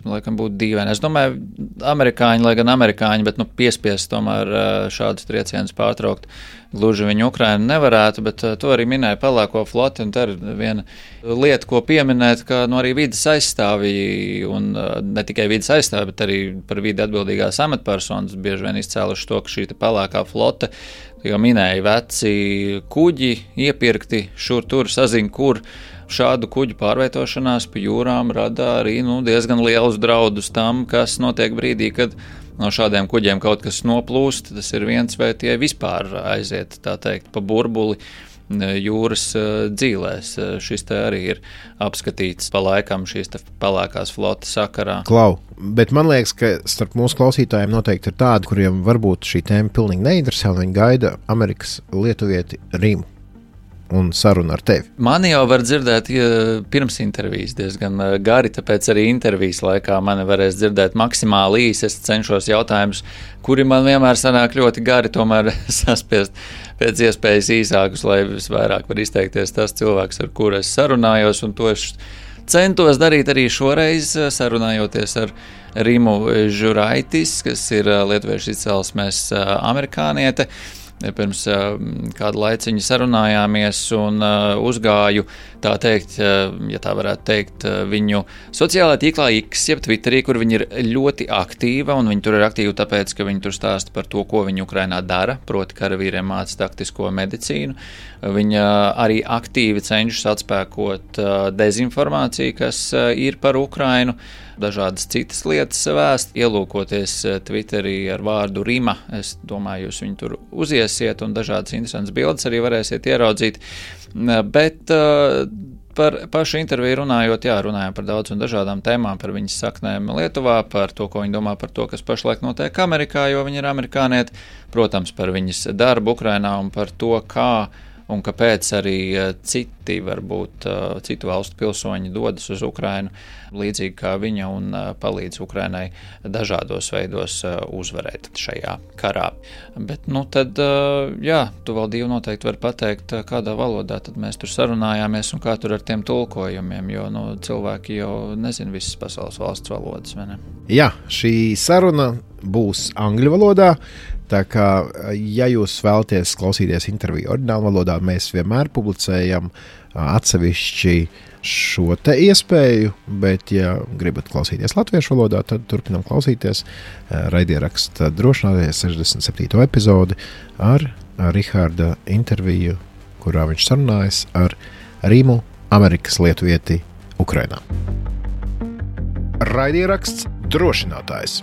laikam būtu dīvaini. Es domāju, amerikāņi, lai gan amerikāņi, bet piespiest tomēr šādus triecienus pārtraukt. Gluži viņi Ukrainu nevarētu, bet to arī minēja pelēko floti, un tā ir viena lieta, ko pieminēt, ka arī vides aizstāvji, un ne tikai vides aizstāvji, bet arī par vidi atbildīgās amatpersonas bieži vien izcēluši to, ka šī pelēkā flote, jau minēja veci kuģi, iepirkti šur tur, sazin kur. Šādu kuģu pārvietošanās pa jūrām rada arī diezgan lielus draudus tam, kas notiek brīdī, kad no šādiem kuģiem kaut kas noplūst. Tas ir viens, vai tie vispār aiziet, tā teikt, pa burbuli jūras dzīlēs. Šis te arī ir apskatīts pa laikam šīs te pelēkās flotes sakarā. Klau, bet man liekas, ka starp mūsu klausītājiem noteikti ir tādi, kuriem varbūt šī tēma pilnīgi neinteresē, un viņi gaida Amerikas lietuvieti Rimu un sarunu ar tevi. Mani jau var dzirdēt pirms intervijas diezgan gari, tāpēc arī intervijas laikā mani varēs dzirdēt maksimāli īsi. Es cenšos jautājumus, kuri man vienmēr sanāk ļoti gari, tomēr saspiest pēc iespējas īsākus, lai visvairāk var izteikties tas cilvēks, ar kuru es sarunājos, un to es centos darīt arī šoreiz, sarunājoties ar Rimu Žuraitis, kas ir lietuviešu izcelsmes amerikāniete. pirms kādu laiciņu sarunājāmies un uzgāju, tā teikt, ja tā varētu teikt, viņu sociālajā tīklā X, jeb Twitterī, kur viņi ir ļoti aktīva, un viņi tur ir aktīvi tāpēc, ka viņi tur stāsta par to, ko viņi Ukrainā dara, proti karavīriem māca taktisko medicīnu. Viņa arī aktīvi cenšas atspēkot dezinformāciju, kas ir par Ukrainu, dažādas citas lietas vēst, ielūkoties Twitterī ar vārdu Rima. Es domāju, jūs viņu tur uziesiet un dažādas interesantas bildes arī varēsiet ieraudzīt. Bet par pašu interviju runājot, runājām par daudz un dažādām tēmām, par viņas saknēm Lietuvā, par to, ko viņi domā par to, kas pašlaik notiek Amerikā, jo viņi ir amerikānieti, protams, par viņas darbu Ukrainā un par to, kā un kāpēc arī citi, varbūt citu valstu pilsoņi dodas uz Ukrainu, līdzīgi kā viņa, un palīdz Ukrainai dažādos veidos uzvarēt šajā karā. Bet, tad, tu vēl Dīva noteikti var pateikt, kādā valodā tad mēs tur sarunājāmies un kā tur ar tiem tulkojumiem, jo cilvēki jau nezin visas pasaules valsts valodas, vai ne? Jā, šī saruna būs angļu valodā. Tā kā, ja jūs vēlaties klausīties interviju oriģinālu valodā, mēs vienmēr publicējam atsevišķi šo te iespēju, bet, ja gribat klausīties latviešu valodā, tad turpinam klausīties raidieraksta drošināties 67. epizodi ar Riharda interviju, kurā viņš sarunājas ar Rimu, Amerikas lietuvieti Ukrainā. Raidieraksts drošinātājs.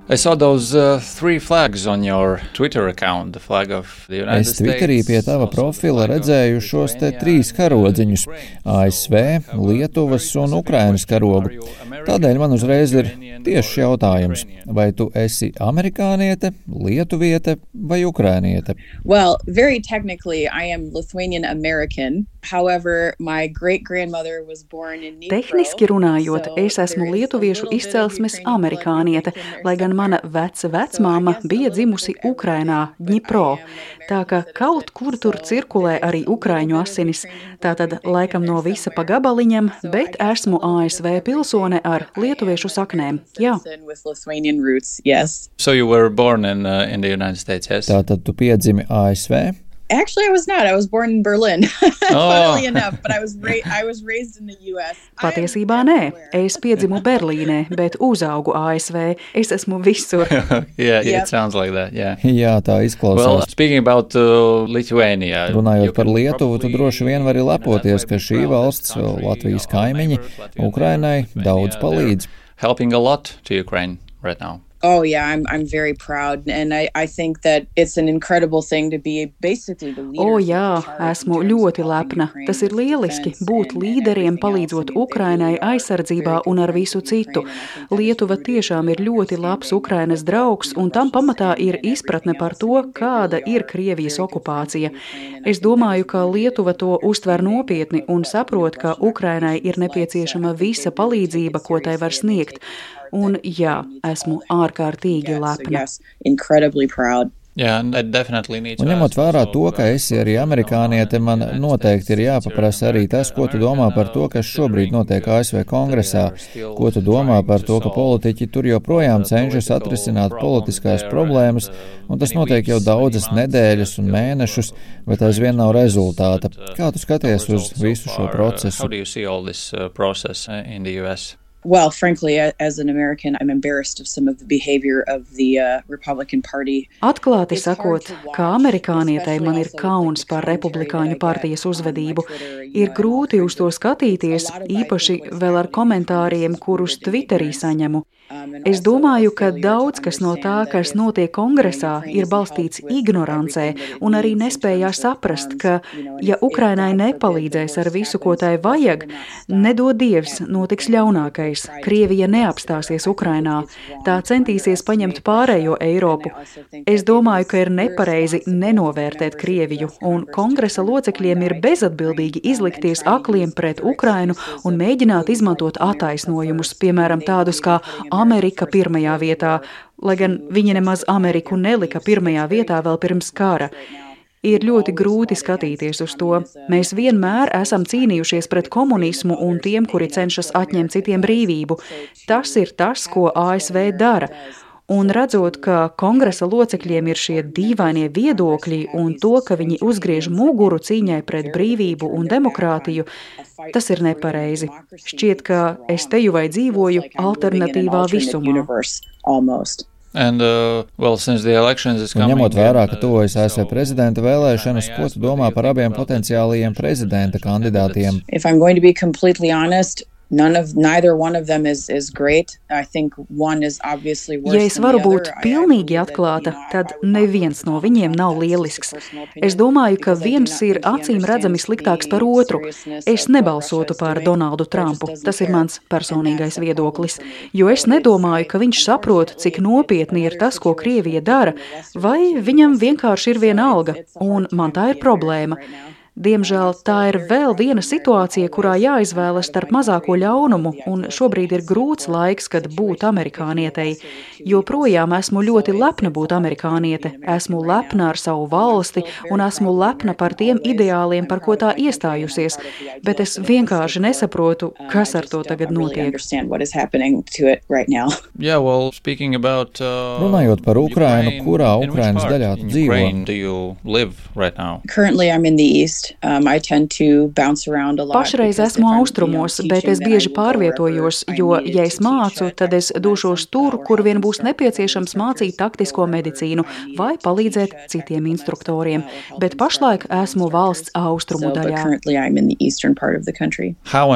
I saw those three flags on your Twitter account, the flag of the United States. Es Twitterī pie tava profila redzēju šos te 3 karodziņus - ASV, Lietuvas un Ukrainas karogu. Tādēļ man uzreiz ir tieši jautājums, vai tu esi amerikāniete, lietuviete vai ukrainiete? Well, very technically I am Lithuanian American. However, my great-grandmother was born in Dnipro. Tehniski runājot, es esmu lietuviešu izcelsmes amerikāniete, lai gan mana vecmāma bija dzimusi Ukrainā, Dnipro. Tā ka kaut kur tur cirkulē arī ukraiņu asinis. Tātad laikam no visa pa gabaliņam, bet esmu ASV pilsone ar lietuviešu saknēm. Jā. So you were born in the United States, yes? Tātad tu piedzimi ASV? Actually, I was not. I was born in Berlin, funnily enough, but I was raised in the U.S. Patiesībā nē. Es piedzimu Berlīnē, bet uzaugu ASV. Es esmu visur. It sounds like that, yeah. Jā, tā izklausās. Well, speaking about Lithuania. Runājot par Lietuvu, tu droši vien vari lepoties, ka šī valsts, Latvijas kaimiņi, Ukrainai daudz palīdz. Helping a lot to Ukraine right now. Oh yeah, I'm very proud, and I think that it's an incredible thing to be basically the leader. Jā, esmu ļoti lepna. Tas ir lieliski būt līderiem, palīdzot Ukrainai aizsardzībā un ar visu citu. Lietuva tiešām ir ļoti labs Ukrainas draugs, un tam pamatā ir izpratne par to, kāda ir Krievijas okupācija. Es domāju, ka Lietuva to uztver nopietni un saprot, ka Ukrainai ir nepieciešama visa palīdzība, ko tai var sniegt. Un jā, esmu ārkārtīgi lepna. Un ņemot vērā to, ka esi arī amerikāniete, man noteikti ir jāpaprasa arī tas, ko tu domā par to, kas šobrīd notiek ASV kongresā. Ko tu domā par to, ka politiķi tur joprojām cenšas atrisināt politiskās problēmas, un tas notiek jau daudzas nedēļas un mēnešus, bet aizvien nav rezultāta. Kā tu skaties uz visu šo procesu? Well, frankly, as an American, I'm embarrassed of some of the behavior of the Republican Party. Atklāti sakot, kā amerikānietei man ir kauns par Republikāņu partijas uzvedību. Ir grūti uz to skatīties, īpaši vēl ar komentāriem, kurus Twitterī saņemu. Es domāju, ka daudz kas no tā, kas notiek kongresā, ir balstīts ignorancē un arī nespējā saprast, ka, ja Ukrainai nepalīdzēs ar visu, ko tai vajag, nedod Dievs, notiks ļaunākais. Krievija neapstāsies Ukrainā. Tā centīsies paņemt pārējo Eiropu. Es domāju, ka ir nepareizi nenovērtēt Krieviju, un kongresa locekļiem ir bezatbildīgi izlikties akliem pret Ukrainu un mēģināt izmantot attaisnojumus, piemēram, tādus kā Amerika pirmajā vietā, lai gan viņi nemaz Ameriku nelika pirmajā vietā vēl pirms kara. Ir ļoti grūti skatīties uz to. Mēs vienmēr esam cīnījušies pret komunismu un tiem, kuri cenšas atņemt citiem brīvību. Tas ir tas, ko ASV dara. Un redzot, ka kongresa locekļiem ir šie dīvainie viedokļi un to, ka viņi uzgriež muguru cīņai pret brīvību un demokrātiju, tas ir nepareizi. Šķiet, ka es teju vai dzīvoju alternatīvā visumā. And, since the elections is coming, ņemot vērā, ka tuvojas ASV prezidenta vēlēšanas, ko tu domā par abiem potenciālajiem prezidenta kandidātiem? If I'm going to be completely honest, neither one of them is great. I think one is obviously worse Ja es varu būt pilnīgi atklāta, tad neviens no viņiem nav lielisks. Es domāju, ka viens ir acīm redzami sliktāks par otru. Es nebalsotu par Donaldu Trumpu, tas ir mans personīgais viedoklis, jo es nedomāju, ka viņš saprot, cik nopietni ir tas, ko Krievija dara, vai viņam vienkārši ir viena alga, un man tā ir problēma. Diemžēl tā ir vēl viena situācija, kurā jāizvēlas starp mazāko ļaunumu, un šobrīd ir grūts laiks, kad būt amerikānietei. Joprojām esmu ļoti lepna būt amerikāniete, esmu lepna ar savu valsti un esmu lepna par tiem ideāliem, par ko tā iestājusies, bet es vienkārši nesaprotu, kas ar to tagad notiek. Runājot par Ukrainu, kurā Ukrainas daļā tu dzīvo? Currently I'm in the east. Pašreiz esmu austrumos, bet es bieži pārvietojos, jo, ja es mācu, tad es došos tur, kur vien būs nepieciešams mācīt taktisko medicīnu vai palīdzēt citiem instruktoriem. Bet pašlaik esmu valsts austrumu daļā. Kā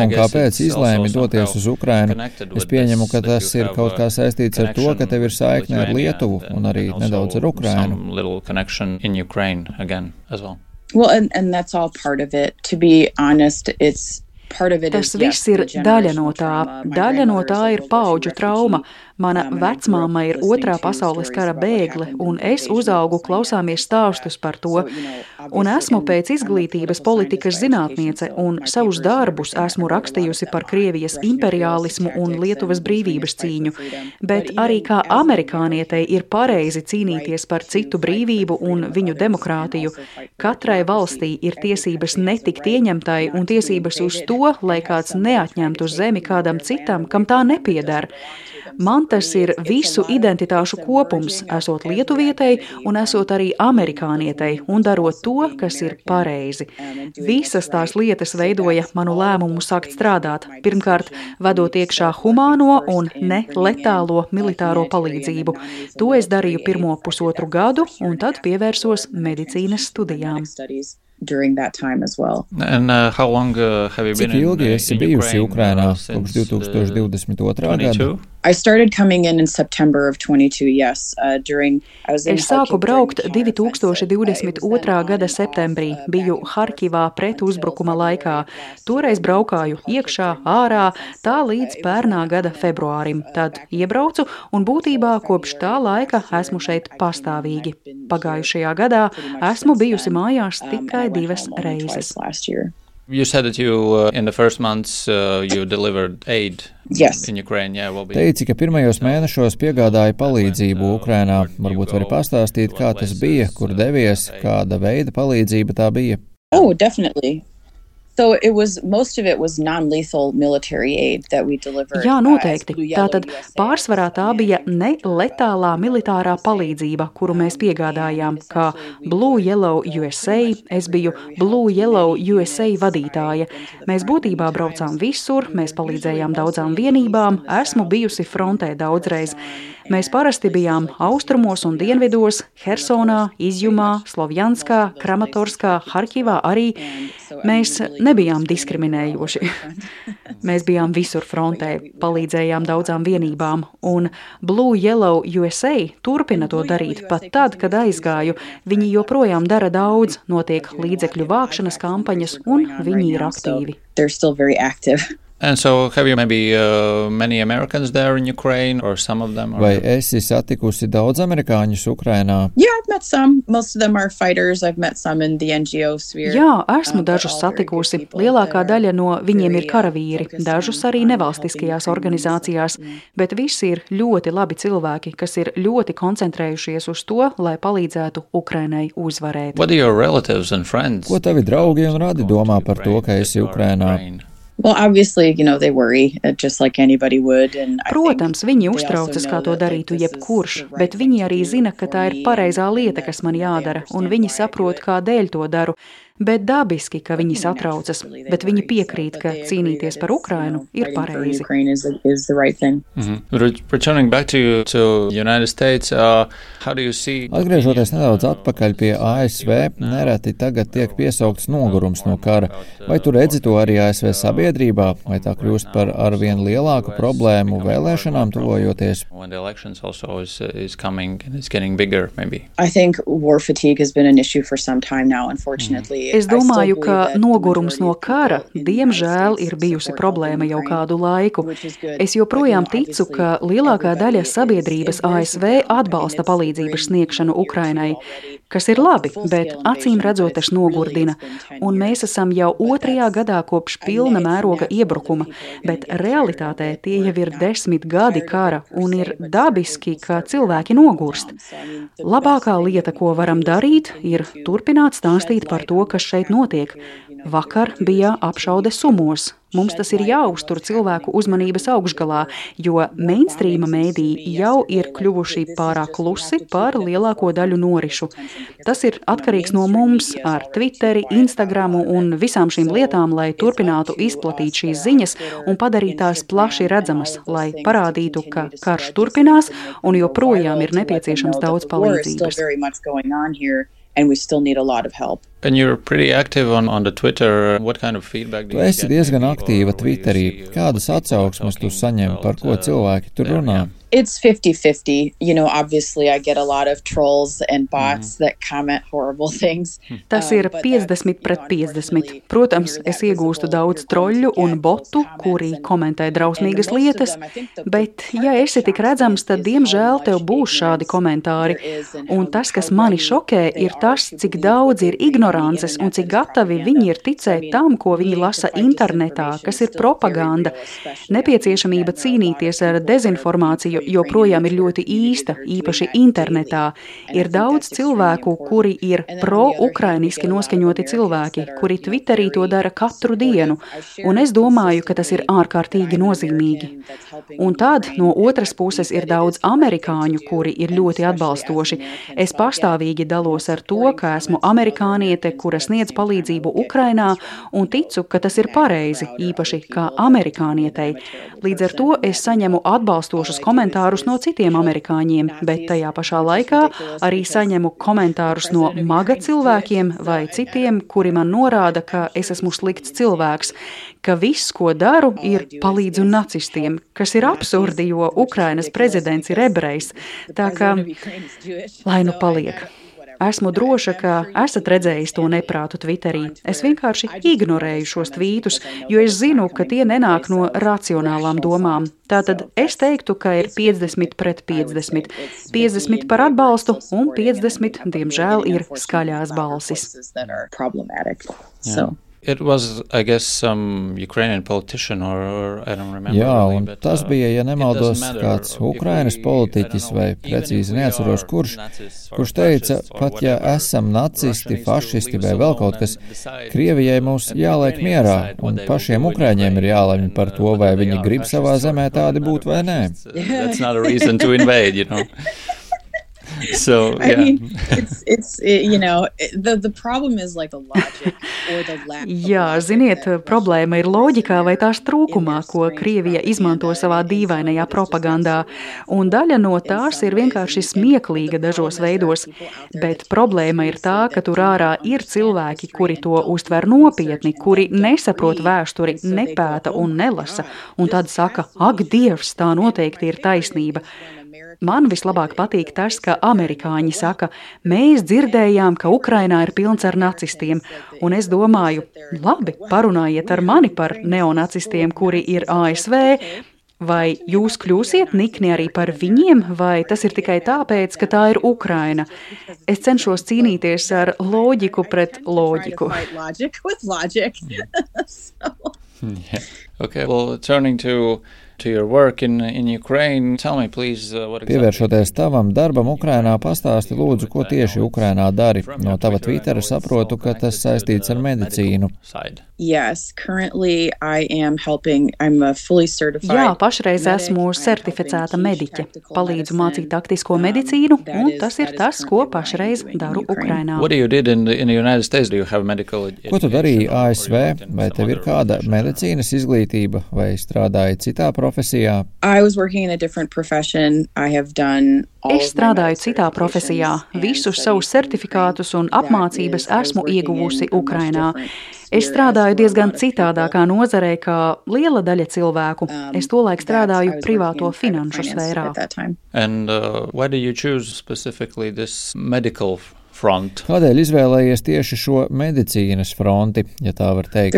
un kāpēc izlēmi doties uz Ukrainu? Es pieņemu, ka tas ir kaut kā saistīts ar to, ka tev ir saikne ar Lietuvu un arī nedaudz ar Ukrainu. Connection in Ukraine again as well. Well, and that's all part of it. To be honest, Tas viss ir daļa no tā. Daļa no tā ir paudžu trauma. Mana vecmāma ir otrā pasaules kara bēgle, un es uzaugu klausāmies stāstus par to. Un esmu pēc izglītības politikas zinātniece, un savus darbus esmu rakstījusi par Krievijas imperiālismu un Lietuvas brīvības cīņu. Bet arī kā amerikānietei ir pareizi cīnīties par citu brīvību un viņu demokrātiju. Katrai valstī ir tiesības netikt ieņemtai un tiesības uz to, lai kāds neatņemtu zemi kādam citam, kam tā nepiedara. Man tas ir visu identitāšu kopums, esot lietuvietei un esot arī amerikānietei un darot to, kas ir pareizi. Visas tās lietas veidoja manu lēmumu sākt strādāt. Pirmkārt, vedot iekšā humāno un ne letālo militāro palīdzību. To es darīju pirmo 1,5 gadu un tad pievērsos medicīnas studijām. During that time as well. And how long have you been Cik ilgi esi bijusi Ukrainā kopš 2022. gada? I started coming in September of 22, yes. Es sāku braukt 2022. Gada septembrī, biju Harkivā pret uzbrukuma laikā. Toreiz braukāju iekšā, ārā, tā līdz pērnā gada februārim. Tad iebraucu un būtībā kopš tā laika esmu šeit pastāvīgi. Pagājušajā gadā esmu bijusi mājās tikai 2 reizes. You said that you, in the first months, you delivered aid in Ukraine. Yeah, Teici, ka pirmajos mēnešos piegādāja palīdzību Ukrainā. Varbūt vari pastāstīt, kā tas bija, kur devies, kāda veida palīdzība tā bija? Oh, definitely. So most of it was non-lethal military aid that we delivered. Jā, noteikti. Tātad pārsvarā tā bija neletālā militārā palīdzība, kuru mēs piegādājām, kā Blue Yellow USA. Es biju Blue Yellow USA vadītāja. Mēs būtībā braucām visur, mēs palīdzējām daudzām vienībām, esmu bijusi frontē daudzreiz. Mēs parasti bijām austrumos un dienvidos, Hersonā, Izjumā, Slovjanskā, Kramatorskā, Harkivā arī. Mēs nebijām diskriminējoši. Mēs bijām visur frontē, palīdzējām daudzām vienībām, un Blue Yellow USA turpina to darīt pat tad, kad aizgāju. Viņi joprojām dara daudz, notiek līdzekļu vākšanas kampaņas, un viņi ir aktīvi. They're still very active. And so, have you maybe many Americans there in Ukraine, or some of them? Vai esi satikusi daudz amerikāņus Ukrainā? Yeah, I've met some. Most of them are fighters. I've met some in the NGO sphere. Jā, esmu dažus satikusi. Lielākā daļa no viņiem ir karavīri, dažus arī nevalstiskajās organizācijās, bet visi ir ļoti labi cilvēki, kas ir ļoti koncentrējušies uz to, lai palīdzētu Ukrainai uzvarēt. What are your relatives and friends? Ko tavi draugi un radi domā par to, ka esi Ukrainā? Well, obviously, they worry, just like anybody would. Protams, viņi uztraucas, kā to darītu jebkurš, bet viņi arī zina, ka tā ir pareizā lieta, kas man jādara, un viņi saprot, kādēļ to daru. Bet dabiski, ka viņi satraucas, bet viņi piekrīt, ka cīnīties par Ukrainu ir pareizi. Atgriežoties nedaudz atpakaļ pie ASV, nereti tagad tiek piesaukts nogurums no kara. Vai tu redzi to arī ASV sabiedrībā, vai tā kļūst par arvien lielāku problēmu vēlēšanām tuvojoties? I think war fatigue has been an issue for some time now, unfortunately. Es domāju, ka nogurums no kara, diemžēl, ir bijusi problēma jau kādu laiku. Es joprojām ticu, ka lielākā daļa sabiedrības ASV atbalsta palīdzības sniegšanu Ukrainai, kas ir labi, bet acīm redzot tas nogurdina. Un mēs esam jau 2. gadā kopš pilna mēroga iebrukuma, bet realitātē tie jau ir 10 gadi kara un ir dabiski, ka cilvēki nogurst. Labākā lieta, ko varam darīt, ir turpināt stāstīt par to, kas šeit notiek. Vakar bija apšaude Sumos. Mums tas ir jāuztur cilvēku uzmanības augšgalā, jo mainstreama mēdī jau ir kļuvuši pārāk klusi par lielāko daļu norišu. Tas ir atkarīgs no mums ar Twitteri, Instagramu un visām šīm lietām, lai turpinātu izplatīt šīs ziņas un padarīt tās plaši redzamas, lai parādītu, ka karš turpinās un joprojām ir nepieciešams daudz palīdzības. And we still need a lot of help. And you're pretty active on the Twitter. What kind of feedback do you get? Tu esi diezgan aktīva Twitterī. Kādas atsauksmes tu saņem, par ko cilvēki tur runā? It's 50-50. Obviously I get a lot of trolls and bots that comment horrible things. Tas ir 50-50. Protams, es iegūstu daudz troļļu un botu, kuri komentē drausmīgas lietas, bet ja esi tik redzams, tad diemžēl tev būs šādi komentāri. Un tas, kas mani šokē, ir tas, cik daudz ir ignorances un cik gatavi viņi ir ticēt tam, ko viņi lasa internetā, kas ir propaganda. Nepieciešamība cīnīties ar dezinformāciju joprojām ir ļoti īsta, īpaši internetā. Ir daudz cilvēku, kuri ir pro-ukrainiski noskaņoti cilvēki, kuri Twitterī to dara katru dienu, un es domāju, ka tas ir ārkārtīgi nozīmīgi. Un tad no otras puses ir daudz amerikāņu, kuri ir ļoti atbalstoši. Es pastāvīgi dalos ar to, ka esmu amerikāniete, kura sniedz palīdzību Ukrainā, un ticu, ka tas ir pareizi, īpaši kā amerikānietei. Līdz ar to es saņemu atbalstošus komentārus no citiem amerikāņiem, bet tajā pašā laikā arī saņemu komentārus no maga cilvēkiem vai citiem, kuri man norāda, ka es esmu slikts cilvēks, ka viss, ko daru, ir palīdzu nacistiem, kas ir absurdi, jo Ukrainas prezidents ir ebrejs. Tā kā, lai nu paliek. Esmu droša, ka esat redzējis to neprātu Twitterī. Es vienkārši ignorēju šos tvītus, jo es zinu, ka tie nenāk no racionālām domām. Tātad es teiktu, ka ir 50-50. 50 par atbalstu un 50, diemžēl, ir skaļās balsis. It was, I guess, some Ukrainian politician or I don't remember. Jā, un tas bija, ja nemaldos, kāds Ukrainas politiķis vai precīzi neatceros kurš teica, pat ja esam nacisti, fašisti vai vēl kaut kas, Krievijai mūs jāliek mierā, un pašiem Ukraiņiem ir jālemj par to, vai viņi grib savā zemē tādi būt vai nē. That's not a reason to invade, So, yeah. I mean, it's the problem is like the logic or the lack of Jā, ziniet, problēma ir loģikā vai tās trūkumā, ko Krievija izmanto savā dīvainajā propagandā, un daļa no tās ir vienkārši smieklīga dažos veidos, bet problēma ir tā, ka tur ārā ir cilvēki, kuri to uztver nopietni, kuri nesaprot vēsturi, nepēta un nelasa, un tad saka, ak, Dievs, tā noteikti ir taisnība. Man vislabāk patīk tas, ka amerikāņi saka, mēs dzirdējām, ka Ukrainā ir pilns ar nacistiem, un es domāju, labi, parunājiet ar mani par neonacistiem, kuri ir ASV, vai jūs kļūsiet nikni arī par viņiem, vai tas ir tikai tāpēc, ka tā ir Ukraina? Es cenšos cīnīties ar loģiku pret loģiku. Yeah. Okay, well, turning to Pievēršoties tavam darbam Ukrainā, pastāsti lūdzu, ko tieši Ukrainā dari. No tava Twittera saprotu, ka tas saistīts ar medicīnu. Yes, currently I am helping. I'm a fully certified. Jā, pašreiz esmu certificēta mediķe. Palīdzu mācīt taktisko medicīnu, un tas ir tas, ko pašreiz daru Ukrainā. Ko tu darīji ASV? Vai tev ir kāda medicīnas izglītība, vai strādāji citā profesijā? Es strādāju citā profesijā. Visus savus certifikātus un apmācības esmu ieguvusi Ukrainā. Es strādāju diezgan citādākā nozarē kā liela daļa cilvēku. Es tolaik strādāju privāto finanšu sfērā. Kādēļ izvēlējies tieši šo medicīnas fronti, ja tā var teikt?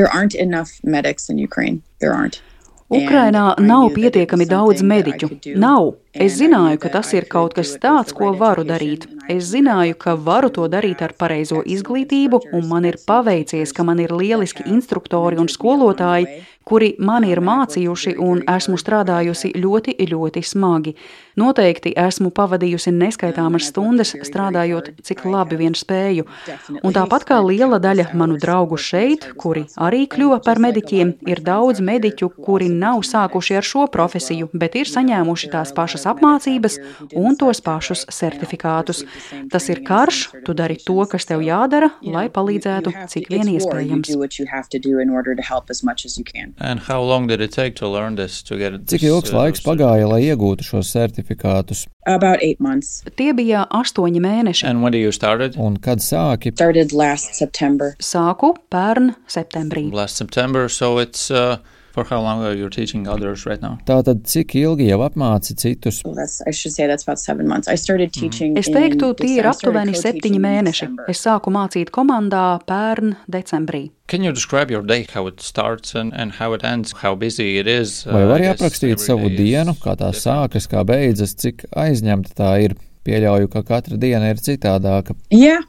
Ukrainā nav pietiekami daudz mediķu. Nav. Es zināju, ka tas ir kaut kas tāds, ko varu darīt. Es zināju, ka varu to darīt ar pareizo izglītību, un man ir paveicies, ka man ir lieliski instruktori un skolotāji, kuri mani ir mācījuši, un esmu strādājusi ļoti, ļoti smagi. Noteikti esmu pavadījusi neskaitāmas stundas, strādājot, cik labi vien spēju. Un tāpat kā liela daļa manu draugu šeit, kuri arī kļuva par mediķiem, ir daudz mediķu, kuri nav sākuši ar šo profesiju, bet ir saņēmuši tās pašas apmācības un tos pašus certifikātus. Tas ir karš, tu dari to, kas tev jādara, lai palīdzētu, cik vien iespējams. Cik ilgs laiks pagāja, lai iegūtu šos certifikātus? Tie bija 8 mēneši. Un kad sāki? Sāku pērn septembrī. Tātad, cik ilgi jau apmāci citus? Es teiktu, tie ir aptuveni 7 mēneši. Es sāku mācīt komandā pērn decembrī. Vai vari aprakstīt savu dienu, kā tā sākas, kā beidzas, cik aizņemta tā ir? Pieļauju, ka katra diena ir citādāka. Jā,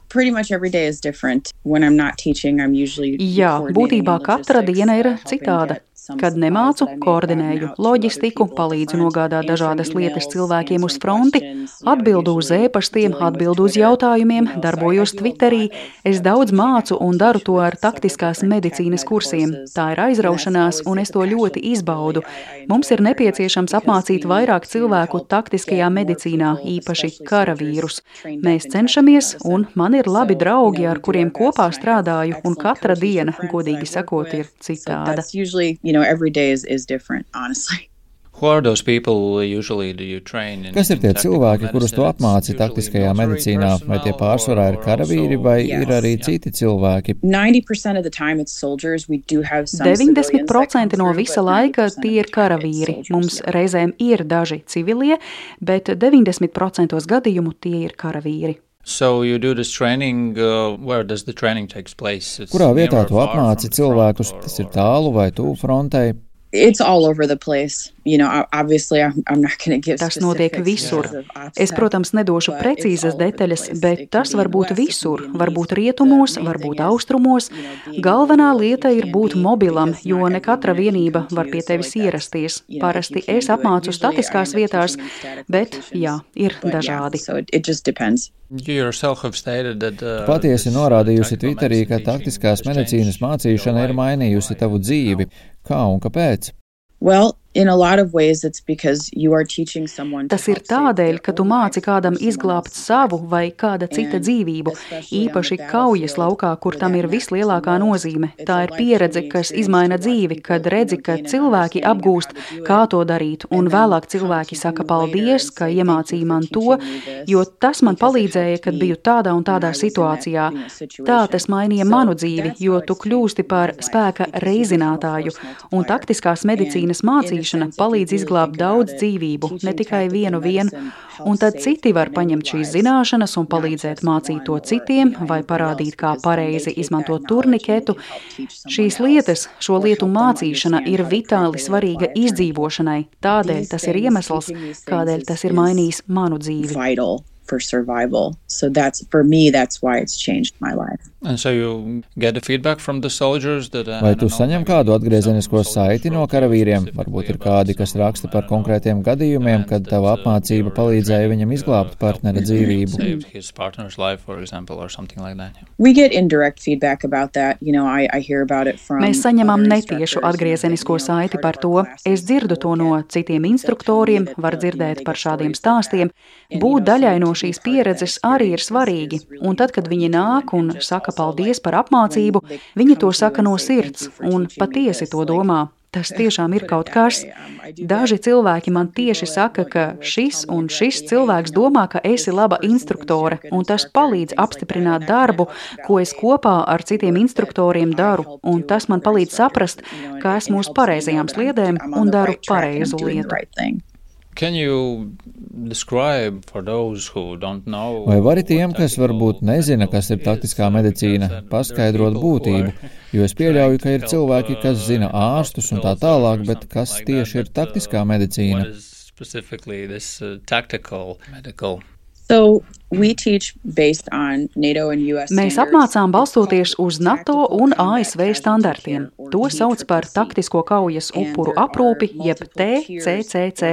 būtībā katra diena ir citāda. Kad nemācu, koordinēju loģistiku, palīdzu nogādāt dažādas lietas cilvēkiem uz fronti, atbildu uz ēpastiem, atbildu uz jautājumiem, darbojos Twitterī. Es daudz mācu un daru to ar taktiskās medicīnas kursiem. Tā ir aizraušanās, un es to ļoti izbaudu. Mums ir nepieciešams apmācīt vairāk cilvēku taktiskajā medicīnā, īpaši karavīrus. Mēs cenšamies, un man ir labi draugi, ar kuriem kopā strādāju, un katra diena, godīgi sakot, ir citāda. Every day is different, honestly. Kas ir tie cilvēki, kurus tu apmāci taktiskajā medicīnā? Vai tie pārsvarā ir karavīri, vai ir arī citi cilvēki? 90% no visa laika tie ir karavīri. Mums reizēm ir daži civilie, bet 90% gadījumu tie ir karavīri. Kurā vietā tu apmāci cilvēkus? Tas ir tālu vai tuvu frontei? It's all over the place. Obviously, I'm not going to give Tas notiek visur. Es, protams, nedošu precīzas detaļas, bet tas var būt visur. Varbūt rietumos, varbūt austrumos. Galvenā lieta ir būt mobilam, jo ne katra vienība var pie tevis ierasties. Parasti es apmācu statiskās vietās, bet, jā, ir dažādi. Patiesi norādījusi Twitterī, ka taktiskās medicīnas mācīšana ir mainījusi tavu dzīvi. Kā un kāpēc? Tas ir tādēļ, ka tu māci kādam izglābt savu vai kāda cita dzīvību, īpaši kaujas laukā, kur tam ir vislielākā nozīme. Tā ir pieredze, kas izmaina dzīvi, kad redzi, ka cilvēki apgūst, kā to darīt, un vēlāk cilvēki saka paldies, ka iemācīja man to, jo tas man palīdzēja, kad biju tādā un tādā situācijā. Tā tas mainīja manu dzīvi, jo tu kļūsti par spēka reizinātāju, un taktiskās medicīnas mācīšana palīdz izglābt daudz dzīvību, ne tikai vienu, un tad citi var paņemt šīs zināšanas un palīdzēt mācīt to citiem vai parādīt, kā pareizi izmantot turniketu. Šīs lietas, šo lietu mācīšana ir vitāli svarīga izdzīvošanai, tādēļ tas ir iemesls, kādēļ tas ir mainījis manu dzīvi. for survival. So for me, that's why it's changed my life. And so you get the feedback from the soldiers that Vai tu saņem kādu atgriezenisko saiti no karavīriem? Varbūt ir kādi, kas raksta par konkrētiem gadījumiem, kad tava apmācība palīdzēja viņam izglābt partnera dzīvību. We get indirect feedback about that. I hear about it from Mēs saņemam netiešu atgriezenisko saiti par to. Es dzirdu to no citiem instruktoriem, var dzirdēt par šādiem stāstiem. Būt daļai no šīs pieredzes arī ir svarīgi. Un tad, kad viņi nāk un saka paldies par apmācību, viņi to saka no sirds un patiesi to domā. Tas tiešām ir kaut kas. Daži cilvēki man tieši saka, ka šis un šis cilvēks domā, ka esi laba instruktore, un tas palīdz apstiprināt darbu, ko es kopā ar citiem instruktoriem daru, un tas man palīdz saprast, ka esmu uz pareizajām sliedēm un daru pareizu lietu. Vai vari tiem, kas varbūt nezina, kas ir taktiskā medicīna, paskaidrot būtību? Jo es pieļauju, ka ir cilvēki, kas zina ārstus un tā tālāk, bet kas tieši ir taktiskā medicīna? So we teach based on NATO and US Mēs apmācām balstoties uz NATO un ASV standartiem. To sauc par taktisko kaujas upuru aprūpi, jeb TCCC.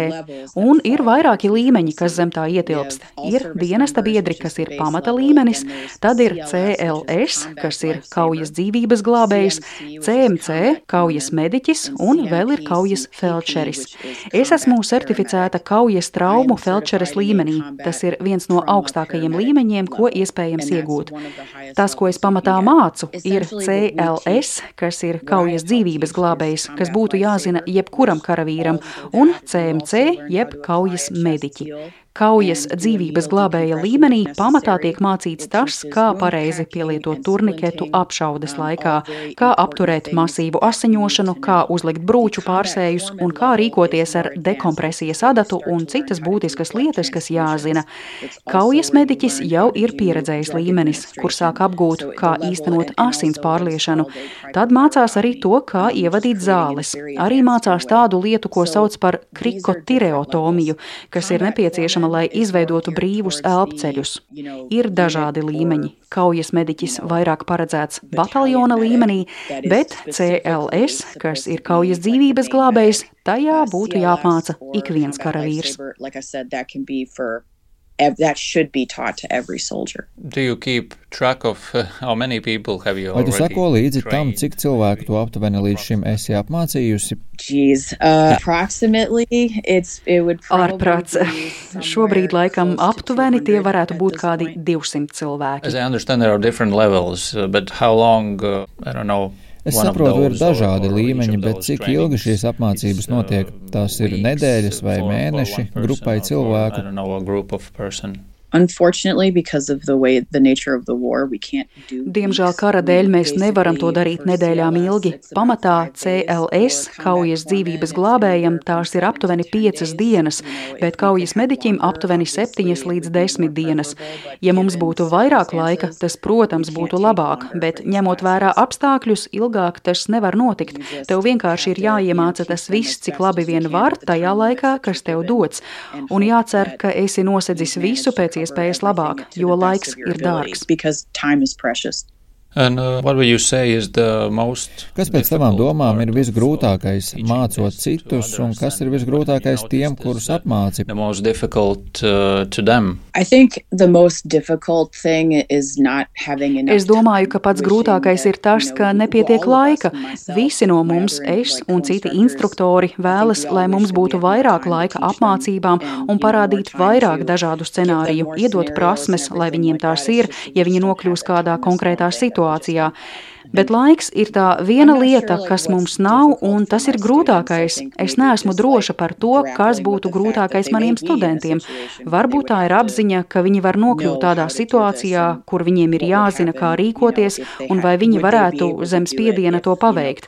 Un ir vairāki līmeņi, kas zem tā ietilpst. Ir dienesta biedri, kas ir pamata līmenis, tad ir CLS, kas ir kaujas dzīvības glābējs, CMC, kaujas mediķis un vēl ir kaujas felčeris. Es esmu certificēta kaujas traumu felčeres līmenī. Tas ir viens no augstākajiem līmeņiem, ko iespējams iegūt. Tas, ko es pamatā mācu, ir CLS, kas ir kaujas dzīvības glābējs, kas būtu jāzina jebkuram karavīram, un CMC, jeb kaujas mediķi. Kaujas dzīvības glābēja līmenī pamatā tiek mācīts tas, kā pareizi pielietot turniketu apšaudes laikā, kā apturēt masīvu asiņošanu, kā uzlikt brūču pārsējus un kā rīkoties ar dekompresijas adatu un citas būtiskas lietas, kas jāzina. Kaujas mediķis jau ir pieredzējis līmenis, kur sāk apgūt, kā īstenot asins pārliešanu. Tad mācās arī to, kā ievadīt zāles. Arī mācās tādu lietu, ko sauc par krikotireotomiju, kas ir nepieciešama, lai izveidotu brīvus elpceļus. Ir dažādi līmeņi. Kaujas mediķis vairāk paredzēts bataljona līmenī, bet CLS, kas ir kaujas dzīvības glābējs, tajā būtu jāapmāca ik viens karavīrs. That should be taught to every soldier. Do you keep track of how many people have you already trained? Vai tu sako līdzi tam, cik cilvēku tu aptuveni līdz šim esi apmācījusi? Approximately, it would Ārprāts. Šobrīd laikam aptuveni tie varētu būt kādi 200 cilvēki. As I understand, there are different levels, but how long, I don't know. Es saprotu, ir dažādi līmeņi, bet cik ilgi šīs apmācības notiek? Tās ir nedēļas vai mēneši grupai cilvēku? Unfortunately, because of the nature of the war, we can't do. Diemžēl kara dēļ mēs nevaram to darīt nedēļām ilgi. Pamatā CLS, kaujas dzīvības glābējam, tās ir aptuveni 5 dienas, bet kaujas mediķim aptuveni 7 līdz 10 dienas. Ja mums būtu vairāk laika, tas, protams, būtu labāk, bet ņemot vērā apstākļus, ilgāk tas nevar notikt. Tev vienkārši ir jāiemāca tas viss, cik labi vien var tajā laikā, kas tev dots. Un jācer, ka esi nosedzis visu pēc iespējas labāk, jo laiks ir dārgs. And what would you say is the most Kas pēc tavām domām ir visgrūtākais mācot citus, un kas ir visgrūtākais tiem, kurus apmāci? The most difficult to them? I think the most difficult thing is not having enough. Es domāju, ka pats grūtākais ir tas, ka nepietiek laika. Visi no mums, es un citi instruktori, vēlas, lai mums būtu vairāk laika apmācībām un parādīt vairāk dažādu scenāriju, iedot prasmes, lai viņiem tās ir, ja viņi nokļūs kādā konkrētā situācijā. Bet laiks ir tā viena lieta, kas mums nav, un tas ir grūtākais. Es neesmu droša par to, kas būtu grūtākais maniem studentiem. Varbūt tā ir apziņa, ka viņi var nokļūt tādā situācijā, kur viņiem ir jāzina, kā rīkoties, un vai viņi varētu zem spiediena to paveikt.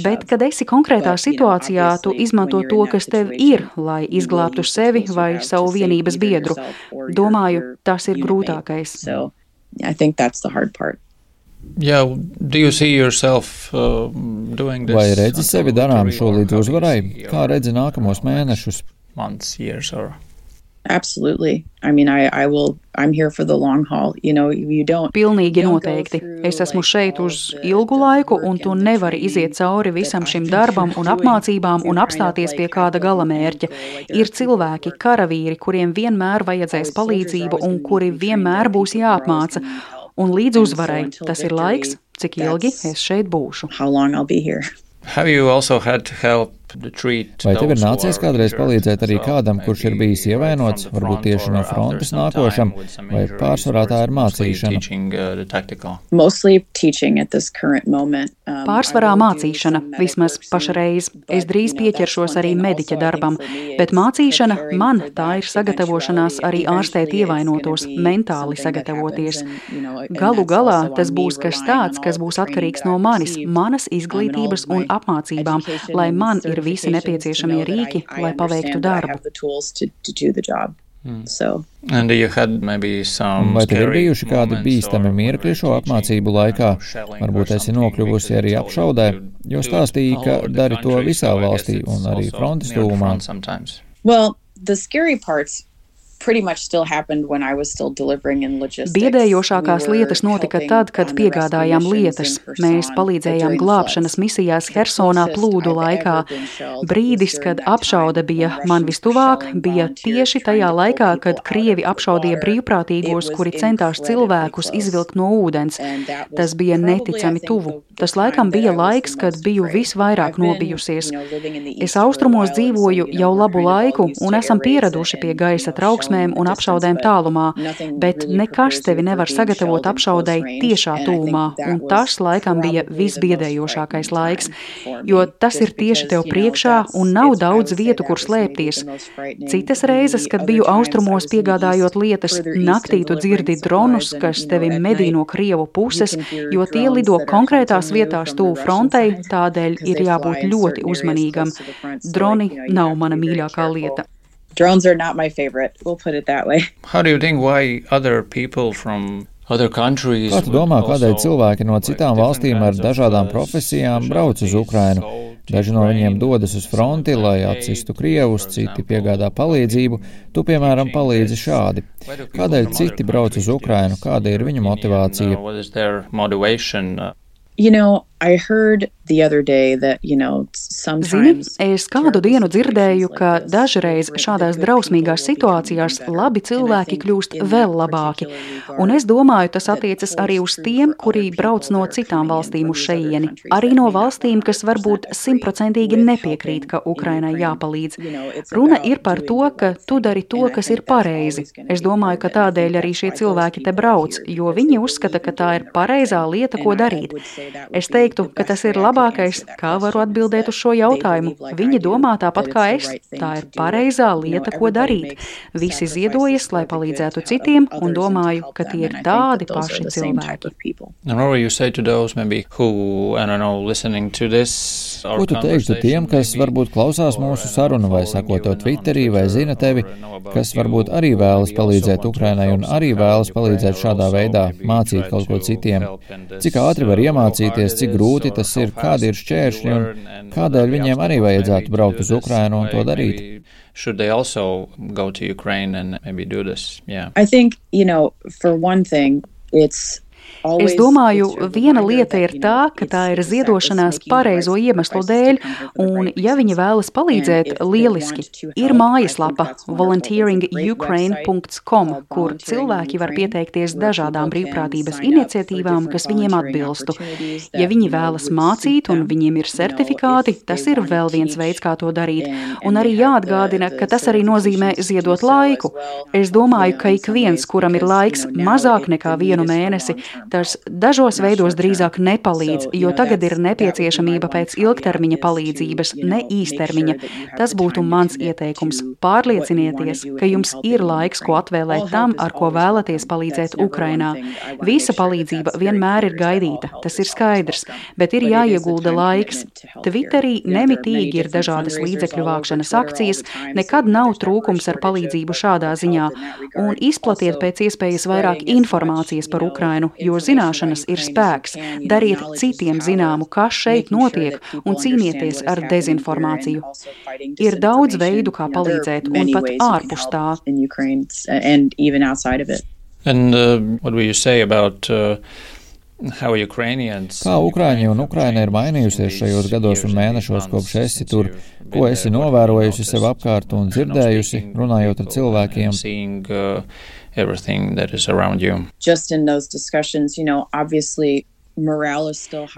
Bet, kad esi konkrētā situācijā, tu izmanto to, kas tev ir, lai izglābtu sevi vai savu vienības biedru. Domāju, tas ir grūtākais. I think that's the hard part. Yeah, do you see yourself doing this? Vai redzi sevi darām šo līdz uzvarai? Kā redzi nākamos mēnešus? Months, years or Absolutely. I mean, I'm here for the long haul. You don't. Pilnīgi noteikti. Es esmu šeit uz ilgu laiku, un tu nevari iziet cauri visam šim darbam un apmācībām un apstāties pie kāda galamērķa. Ir cilvēki, karavīri, kuriem vienmēr vajadzēs palīdzību un kuri vienmēr būs jāapmāca. Un līdz uzvarai tas ir laiks, cik ilgi es šeit būšu. How long I'll be here. Have you also had to help? Vai tev ir nācies kādreiz palīdzēt arī kādam, kurš ir bijis ievainots, varbūt tieši no frontes nākošam, vai pārsvarā tā ir mācīšana? Pārsvarā mācīšana, vismaz pašreiz. Es drīz pieķeršos arī mediķa darbam, bet mācīšana man tā ir sagatavošanās arī ārstēt ievainotos, mentāli sagatavoties. Galu galā tas būs kas tāds, kas būs atkarīgs no manis, manas izglītības un apmācībām, lai man ir visi nepieciešamie rīki, lai paveiktu darbu. Vai tev ir bijuši kādi bīstami mirkļi šo apmācību laikā? Varbūt esi nokļuvusi arī apšaudē, jo stāstīji, ka dari to visā valstī un arī frontes tuvumā. Well, the scary parts pretty much still happened when I was still delivering in logistics. Biedējošākās lietas notika tad, kad piegādājām lietas. Mēs palīdzējām glābšanas misijās Hersonā plūdu laikā. Brīdis, kad apšaude bija man vistuvāk, bija tieši tajā laikā, kad Krievi apšaudīja brīvprātīgos, kuri centās cilvēkus izvilkt no ūdens. Tas bija neticami tuvu. Tas laikam bija laiks, kad biju visvairāk nobijusies. Es austrumos dzīvoju jau labu laiku un esam pieraduši pie gaisa trauksmēm un apšaudēm tālumā, bet nekas tevi nevar sagatavot apšaudei tiešā tūmā, un tas laikam bija visbiedējošākais laiks, jo tas ir tieši tev priekšā un nav daudz vietu, kur slēpties. Citas reizes, kad biju austrumos piegādājot lietas, naktī tu dzirdi dronus, kas tevi medī no Krievu puses, jo tie lido konkrētās vietās tuvu frontei, tādēļ ir jābūt ļoti uzmanīgam. Droni nav mana mīļākā lieta. Drones are not my favorite. We'll put it that way. How do you think why other people from other countries? Kā tu domā, kādēļ cilvēki no citām valstīm ar dažādām profesijām brauc uz Ukrainu? Daži no viņiem dodas uz fronti, lai atsistu Krievus, citi piegādā palīdzību. Tu, piemēram, palīdzi šādi. Kādēļ citi brauc uz Ukrainu? Kāda ir viņu motivācija? I heard the other day that, sometimes... Zini, es kādu dienu dzirdēju, ka dažreiz šādās drausmīgās situācijās labi cilvēki kļūst vēl labāki. Un es domāju, tas attiecas arī uz tiem, kuri brauc no citām valstīm uz šeieni. Arī no valstīm, kas varbūt 100% nepiekrīt, ka Ukrainai jāpalīdz. Runa ir par to, ka tu dari to, kas ir pareizi. Es domāju, ka tādēļ arī šie cilvēki te brauc, jo viņi uzskata, ka tā ir pareizā lieta, ko darīt. Es teiktu, ka tas ir labākais, kā varu atbildēt uz šo jautājumu. Viņi domā tāpat kā es. Tā ir pareizā lieta, ko darīt. Visi ziedojas, lai palīdzētu citiem, un domāju, ka tie ir tādi paši cilvēki. Ko tu teiktu tiem, kas varbūt klausās mūsu sarunu vai sako to Twitterī vai zina tevi, kas varbūt arī vēlas palīdzēt Ukrainai un arī vēlas palīdzēt šādā veidā, mācīt kaut ko citiem? Cik ātri var iemācīties, cik grūti tas ir, kādi ir šķēršļi un kādēļ viņiem arī vajadzētu braukt uz Ukrainu un to darīt? Should they also go to Ukraine and maybe do this? Yeah. I think, for one thing, Es domāju, viena lieta ir tā, ka tā ir ziedošanās pareizo iemeslu dēļ, un ja viņi vēlas palīdzēt, lieliski. Ir mājaslapa volunteeringukraine.com, kur cilvēki var pieteikties dažādām brīvprātības iniciatīvām, kas viņiem atbilstu. Ja viņi vēlas mācīt un viņiem ir certifikāti, tas ir vēl viens veids, kā to darīt. Un arī jāatgādina, ka tas arī nozīmē ziedot laiku. Es domāju, ka ik viens, kuram ir laiks mazāk nekā 1 mēnesi, tas dažos veidos drīzāk nepalīdz, jo tagad ir nepieciešamība pēc ilgtermiņa palīdzības, ne īstermiņa. Tas būtu mans ieteikums. Pārliecinieties, ka jums ir laiks, ko atvēlēt tam, ar ko vēlaties palīdzēt Ukrainā. Visa palīdzība vienmēr ir gaidīta, tas ir skaidrs, bet ir jāiegulda laiks. Twitterī nemitīgi ir dažādas līdzekļu vākšanas akcijas, nekad nav trūkums ar palīdzību šādā ziņā, un izplatiet pēc iespējas vairāk informācijas par Ukrainu, jo zināšanas ir spēks. Dariet citiem zināmu, kas šeit notiek, un cīnieties ar dezinformāciju. Ir daudz veidu, kā palīdzēt, un pat ārpus tā. And what will you say about how Ukrainians? Kā Ukraiņi un Ukraina ir mainījusies šajos gados un mēnešos, kopš esi tur? Ko esi novērojusi sev apkārt un dzirdējusi, runājot ar cilvēkiem? Everything that is around you. Just in those discussions, obviously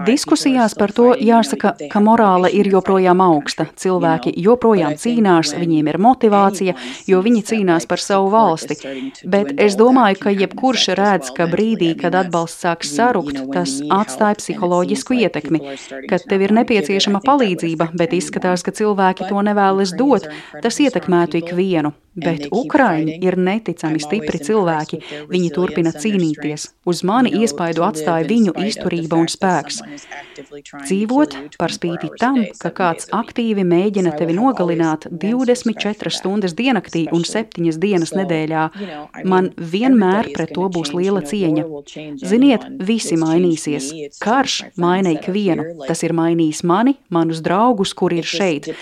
Diskusijās par to jāsaka, ka morāle ir joprojām augsta. Cilvēki joprojām cīnās, viņiem ir motivācija, jo viņi cīnās par savu valsti. Bet es domāju, ka jebkurš redz, ka brīdī, kad atbalsts sāks sarukt, tas atstāja psiholoģisku ietekmi, kad tev ir nepieciešama palīdzība, bet izskatās, ka cilvēki to nevēlas dot, tas ietekmētu ikvienu. Bet Ukraiņi ir neticami stipri cilvēki, viņi turpina cīnīties. Uz mani iespaidu atstāja viņu izturība un spēks. Dzīvot par spīti tam, ka kāds aktīvi mēģina tevi nogalināt 24 stundas diennaktī un 7 dienas nedēļā, man vienmēr pret to būs liela cieņa. Ziniet, visi mainīsies. Karš maina ikvienu. Tas ir mainījis mani, manus draugus, kuri ir šeit.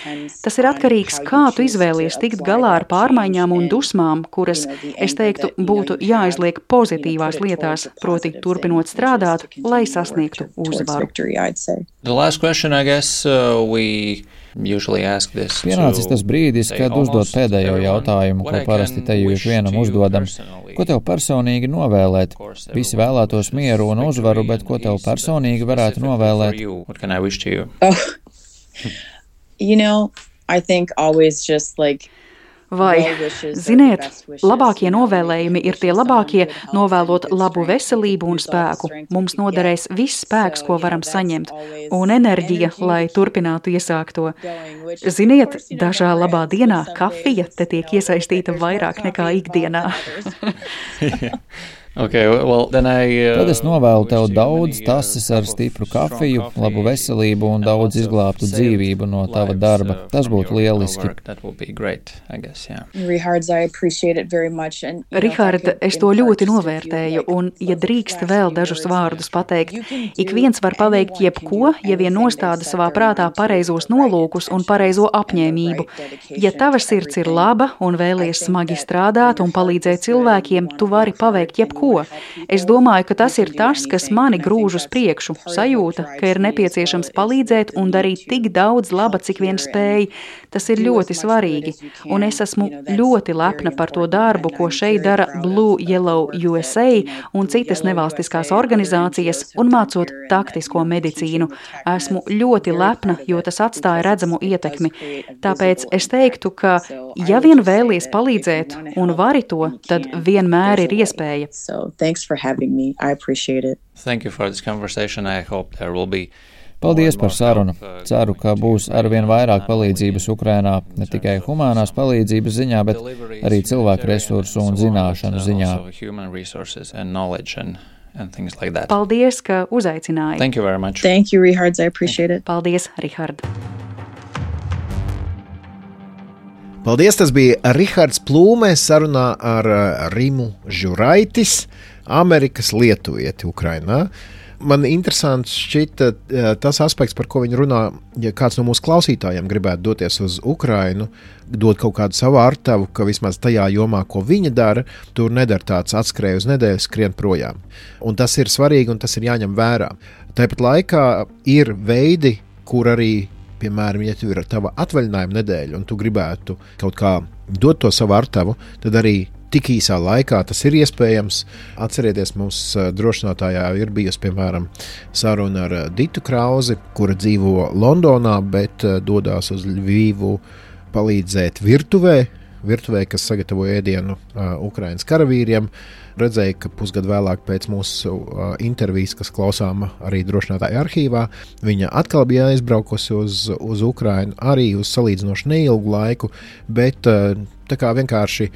Tas ir atkarīgs, kā tu izvēlies tikt galā ar pārmaiņām un dusmām, kuras, es teiktu, būtu jāizliek pozitīvās lietās, proti turpinot strādāt, lai sasniegtu uzvaru. The last question, I guess, we usually ask this. Pienācis tas brīdis, kad uzdot pēdējo jautājumu, ko parasti te jūs vienam uzdodam. Ko tev personīgi novēlēt? Visi vēlētos mieru un uzvaru, bet ko tev personīgi varētu novēlēt? What can I wish to you? I think always just like Vai, ziniet, labākie novēlējumi ir tie labākie, novēlot labu veselību un spēku. Mums noderēs viss spēks, ko varam saņemt, un enerģija, lai turpinātu iesākto. Ziniet, dažā labā dienā kafija te tiek iesaistīta vairāk nekā ikdienā. Okay, well, then Tad es novēlu tev daudz tases ar stipru kafiju, labu veselību un daudz izglābtu dzīvību no tava darba. Tas būtu lieliski. Rihard, es to ļoti novērtēju, un, ja drīkst vēl dažus vārdus pateikt, ik viens var paveikt jebko, ja vien nostāda savā prātā pareizos nolūkus un pareizo apņēmību. Ja tava sirds ir laba un vēlies smagi strādāt un palīdzēt cilvēkiem, tu vari paveikt jebko. Es domāju, ka tas ir tas, kas mani grūž uz priekšu, sajūta, ka ir nepieciešams palīdzēt un darīt tik daudz laba, cik vien spēj. Tas ir ļoti svarīgi, un es esmu ļoti lepna par to darbu, ko šeit dara Blue Yellow USA un citas nevalstiskās organizācijas un mācot taktisko medicīnu. Esmu ļoti lepna, jo tas atstāja redzamu ietekmi. Tāpēc es teiktu, ka ja vien vēlies palīdzēt un vari to, tad vienmēr ir iespēja. So thanks for having me. I appreciate it. Thank you for this conversation. I hope there will be. Paldies par sarunu. Ceru, ka būs arvien vairāk palīdzības Ukrainā, ne tikai humānās palīdzības ziņā, bet arī cilvēku resursu un zināšanu ziņā. Paldies, ka uzaicināji. Thank you very much. Thank you, Richard. I appreciate it. Paldies, Richard. Paldies, tas bija Rihards Plūme sarunā ar Rimu Žuraitis, Amerikas lietuvieti Ukrainā. Man interesants šķita tas aspekts, par ko viņi runā, ja kāds no mūsu klausītājiem gribētu doties uz Ukrainu, dot kaut kādu savu artavu, ka vismaz tajā jomā, ko viņa dara, tur nedara tāds atskrēj uz nedēļu, skrien projām. Un tas ir svarīgi un tas ir jāņem vērā. Tāpat laikā ir veidi, kur arī, piemēram, ja tu ir tava atvaļinājuma nedēļa un tu gribētu kaut kā dot to savu artavu, tad arī tik īsā laikā tas ir iespējams. Atcerieties, mums drošinātājā ir bijusi, piemēram, saruna ar Ditu Krauzi, kura dzīvo Londonā, bet dodās uz Ļvivu palīdzēt virtuvē, kas sagatavo ēdienu Ukrainas karavīriem. Redzēju, ka pusgadu vēlāk pēc mūsu intervijas, kas klausām arī drošinātāja arhīvā, viņa atkal bija aizbraukusi uz Ukrainu, arī uz salīdzinoši neilgu laiku, bet tā kā vienkārši,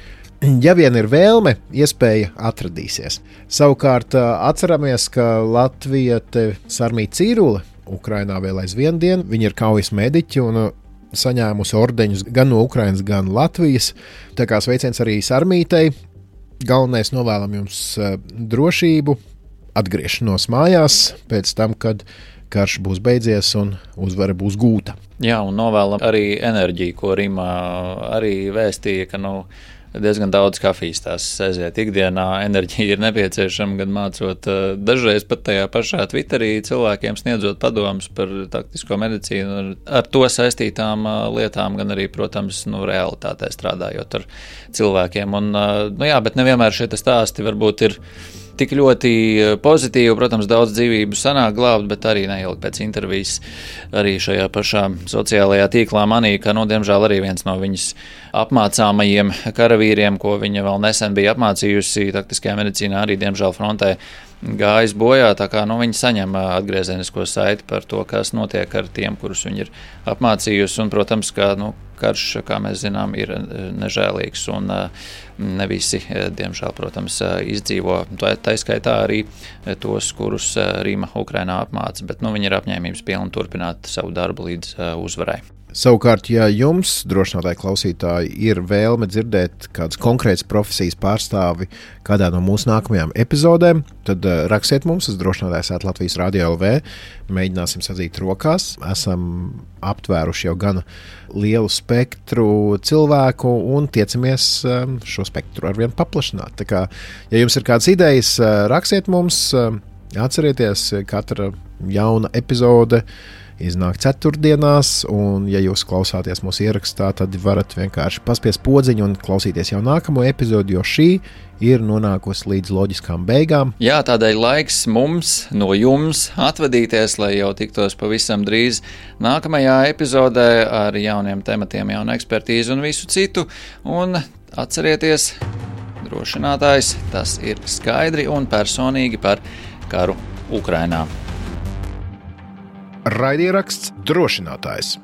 ja vien ir vēlme, iespēja atradīsies. Savukārt atceramies, ka latviete Sarmīte Cīrule Ukrainā vēl aizvien dienu, viņa ir kaujas mediķi un saņēmusi ordeņus gan no Ukrainas, gan Latvijas. Tā kā sveiciens arī Sarmītei. Galvenais novēlam jums drošību, atgriešanos mājās pēc tam, kad karš būs beidzies un uzvara būs gūta. Jā, un novēlam arī enerģiju, ko Rima arī vēstīja, ka diezgan daudz kafijas tās aiziet ikdienā. Enerģija ir nepieciešama, gan mācot dažreiz pat tajā pašā Twitterī cilvēkiem sniedzot padomus par taktisko medicīnu, ar to saistītām lietām, gan arī, protams, realitātē strādājot ar cilvēkiem. Un, bet nevienmēr šie stāsti varbūt ir tik ļoti pozitīvi, protams, daudz dzīvību sanāk glābt, bet arī neilgi pēc intervijas arī šajā pašā sociālajā tīklā manīja, ka, diemžēl arī viens no viņas apmācāmajiem karavīriem, ko viņa vēl nesen bija apmācījusi taktiskajā medicīnā, arī, diemžēl, frontē gājis bojā, tā kā viņi saņem atgriezenisko saiti par to, kas notiek ar tiem, kurus viņi ir apmācījusi, un, protams, ka karš, kā mēs zinām, ir nežēlīgs, un ne visi, diemžēl, protams, izdzīvo. Tā skaitā arī tos, kurus Rima Ukrainā apmāca, bet viņi ir apņēmības pilni turpināt savu darbu līdz uzvarai. Savukārt, ja jums, drošinātāji klausītāji, ir vēlme dzirdēt kādas konkrētas profesijas pārstāvi kādā no mūsu nākamajām epizodēm, tad rakstiet mums uz drošinātājs@Latvijas Radio LV. Mēģināsim sadzīt rokās. Esam aptvēruši jau gan lielu spektru cilvēku un tiecamies šo spektru arvien paplašināt. Tā kā, ja jums ir kādas idejas, rakstiet mums. Atcerieties, katra jauna epizode iznāk ceturtdienās, un, ja jūs klausāties mūsu ierakstā, tad varat vienkārši paspiest podziņu un klausīties jau nākamo epizodi, jo šī ir nonākusi līdz loģiskām beigām. Jā, tādēļ laiks mums no jums atvadīties, lai jau tiktos pavisam drīz nākamajā epizodē ar jauniem tematiem, jaunu ekspertīzi un visu citu. Un atcerieties, drošinātājs, tas ir skaidri un personīgi par karu Ukrainā. Raidieraksts Drošinātājs.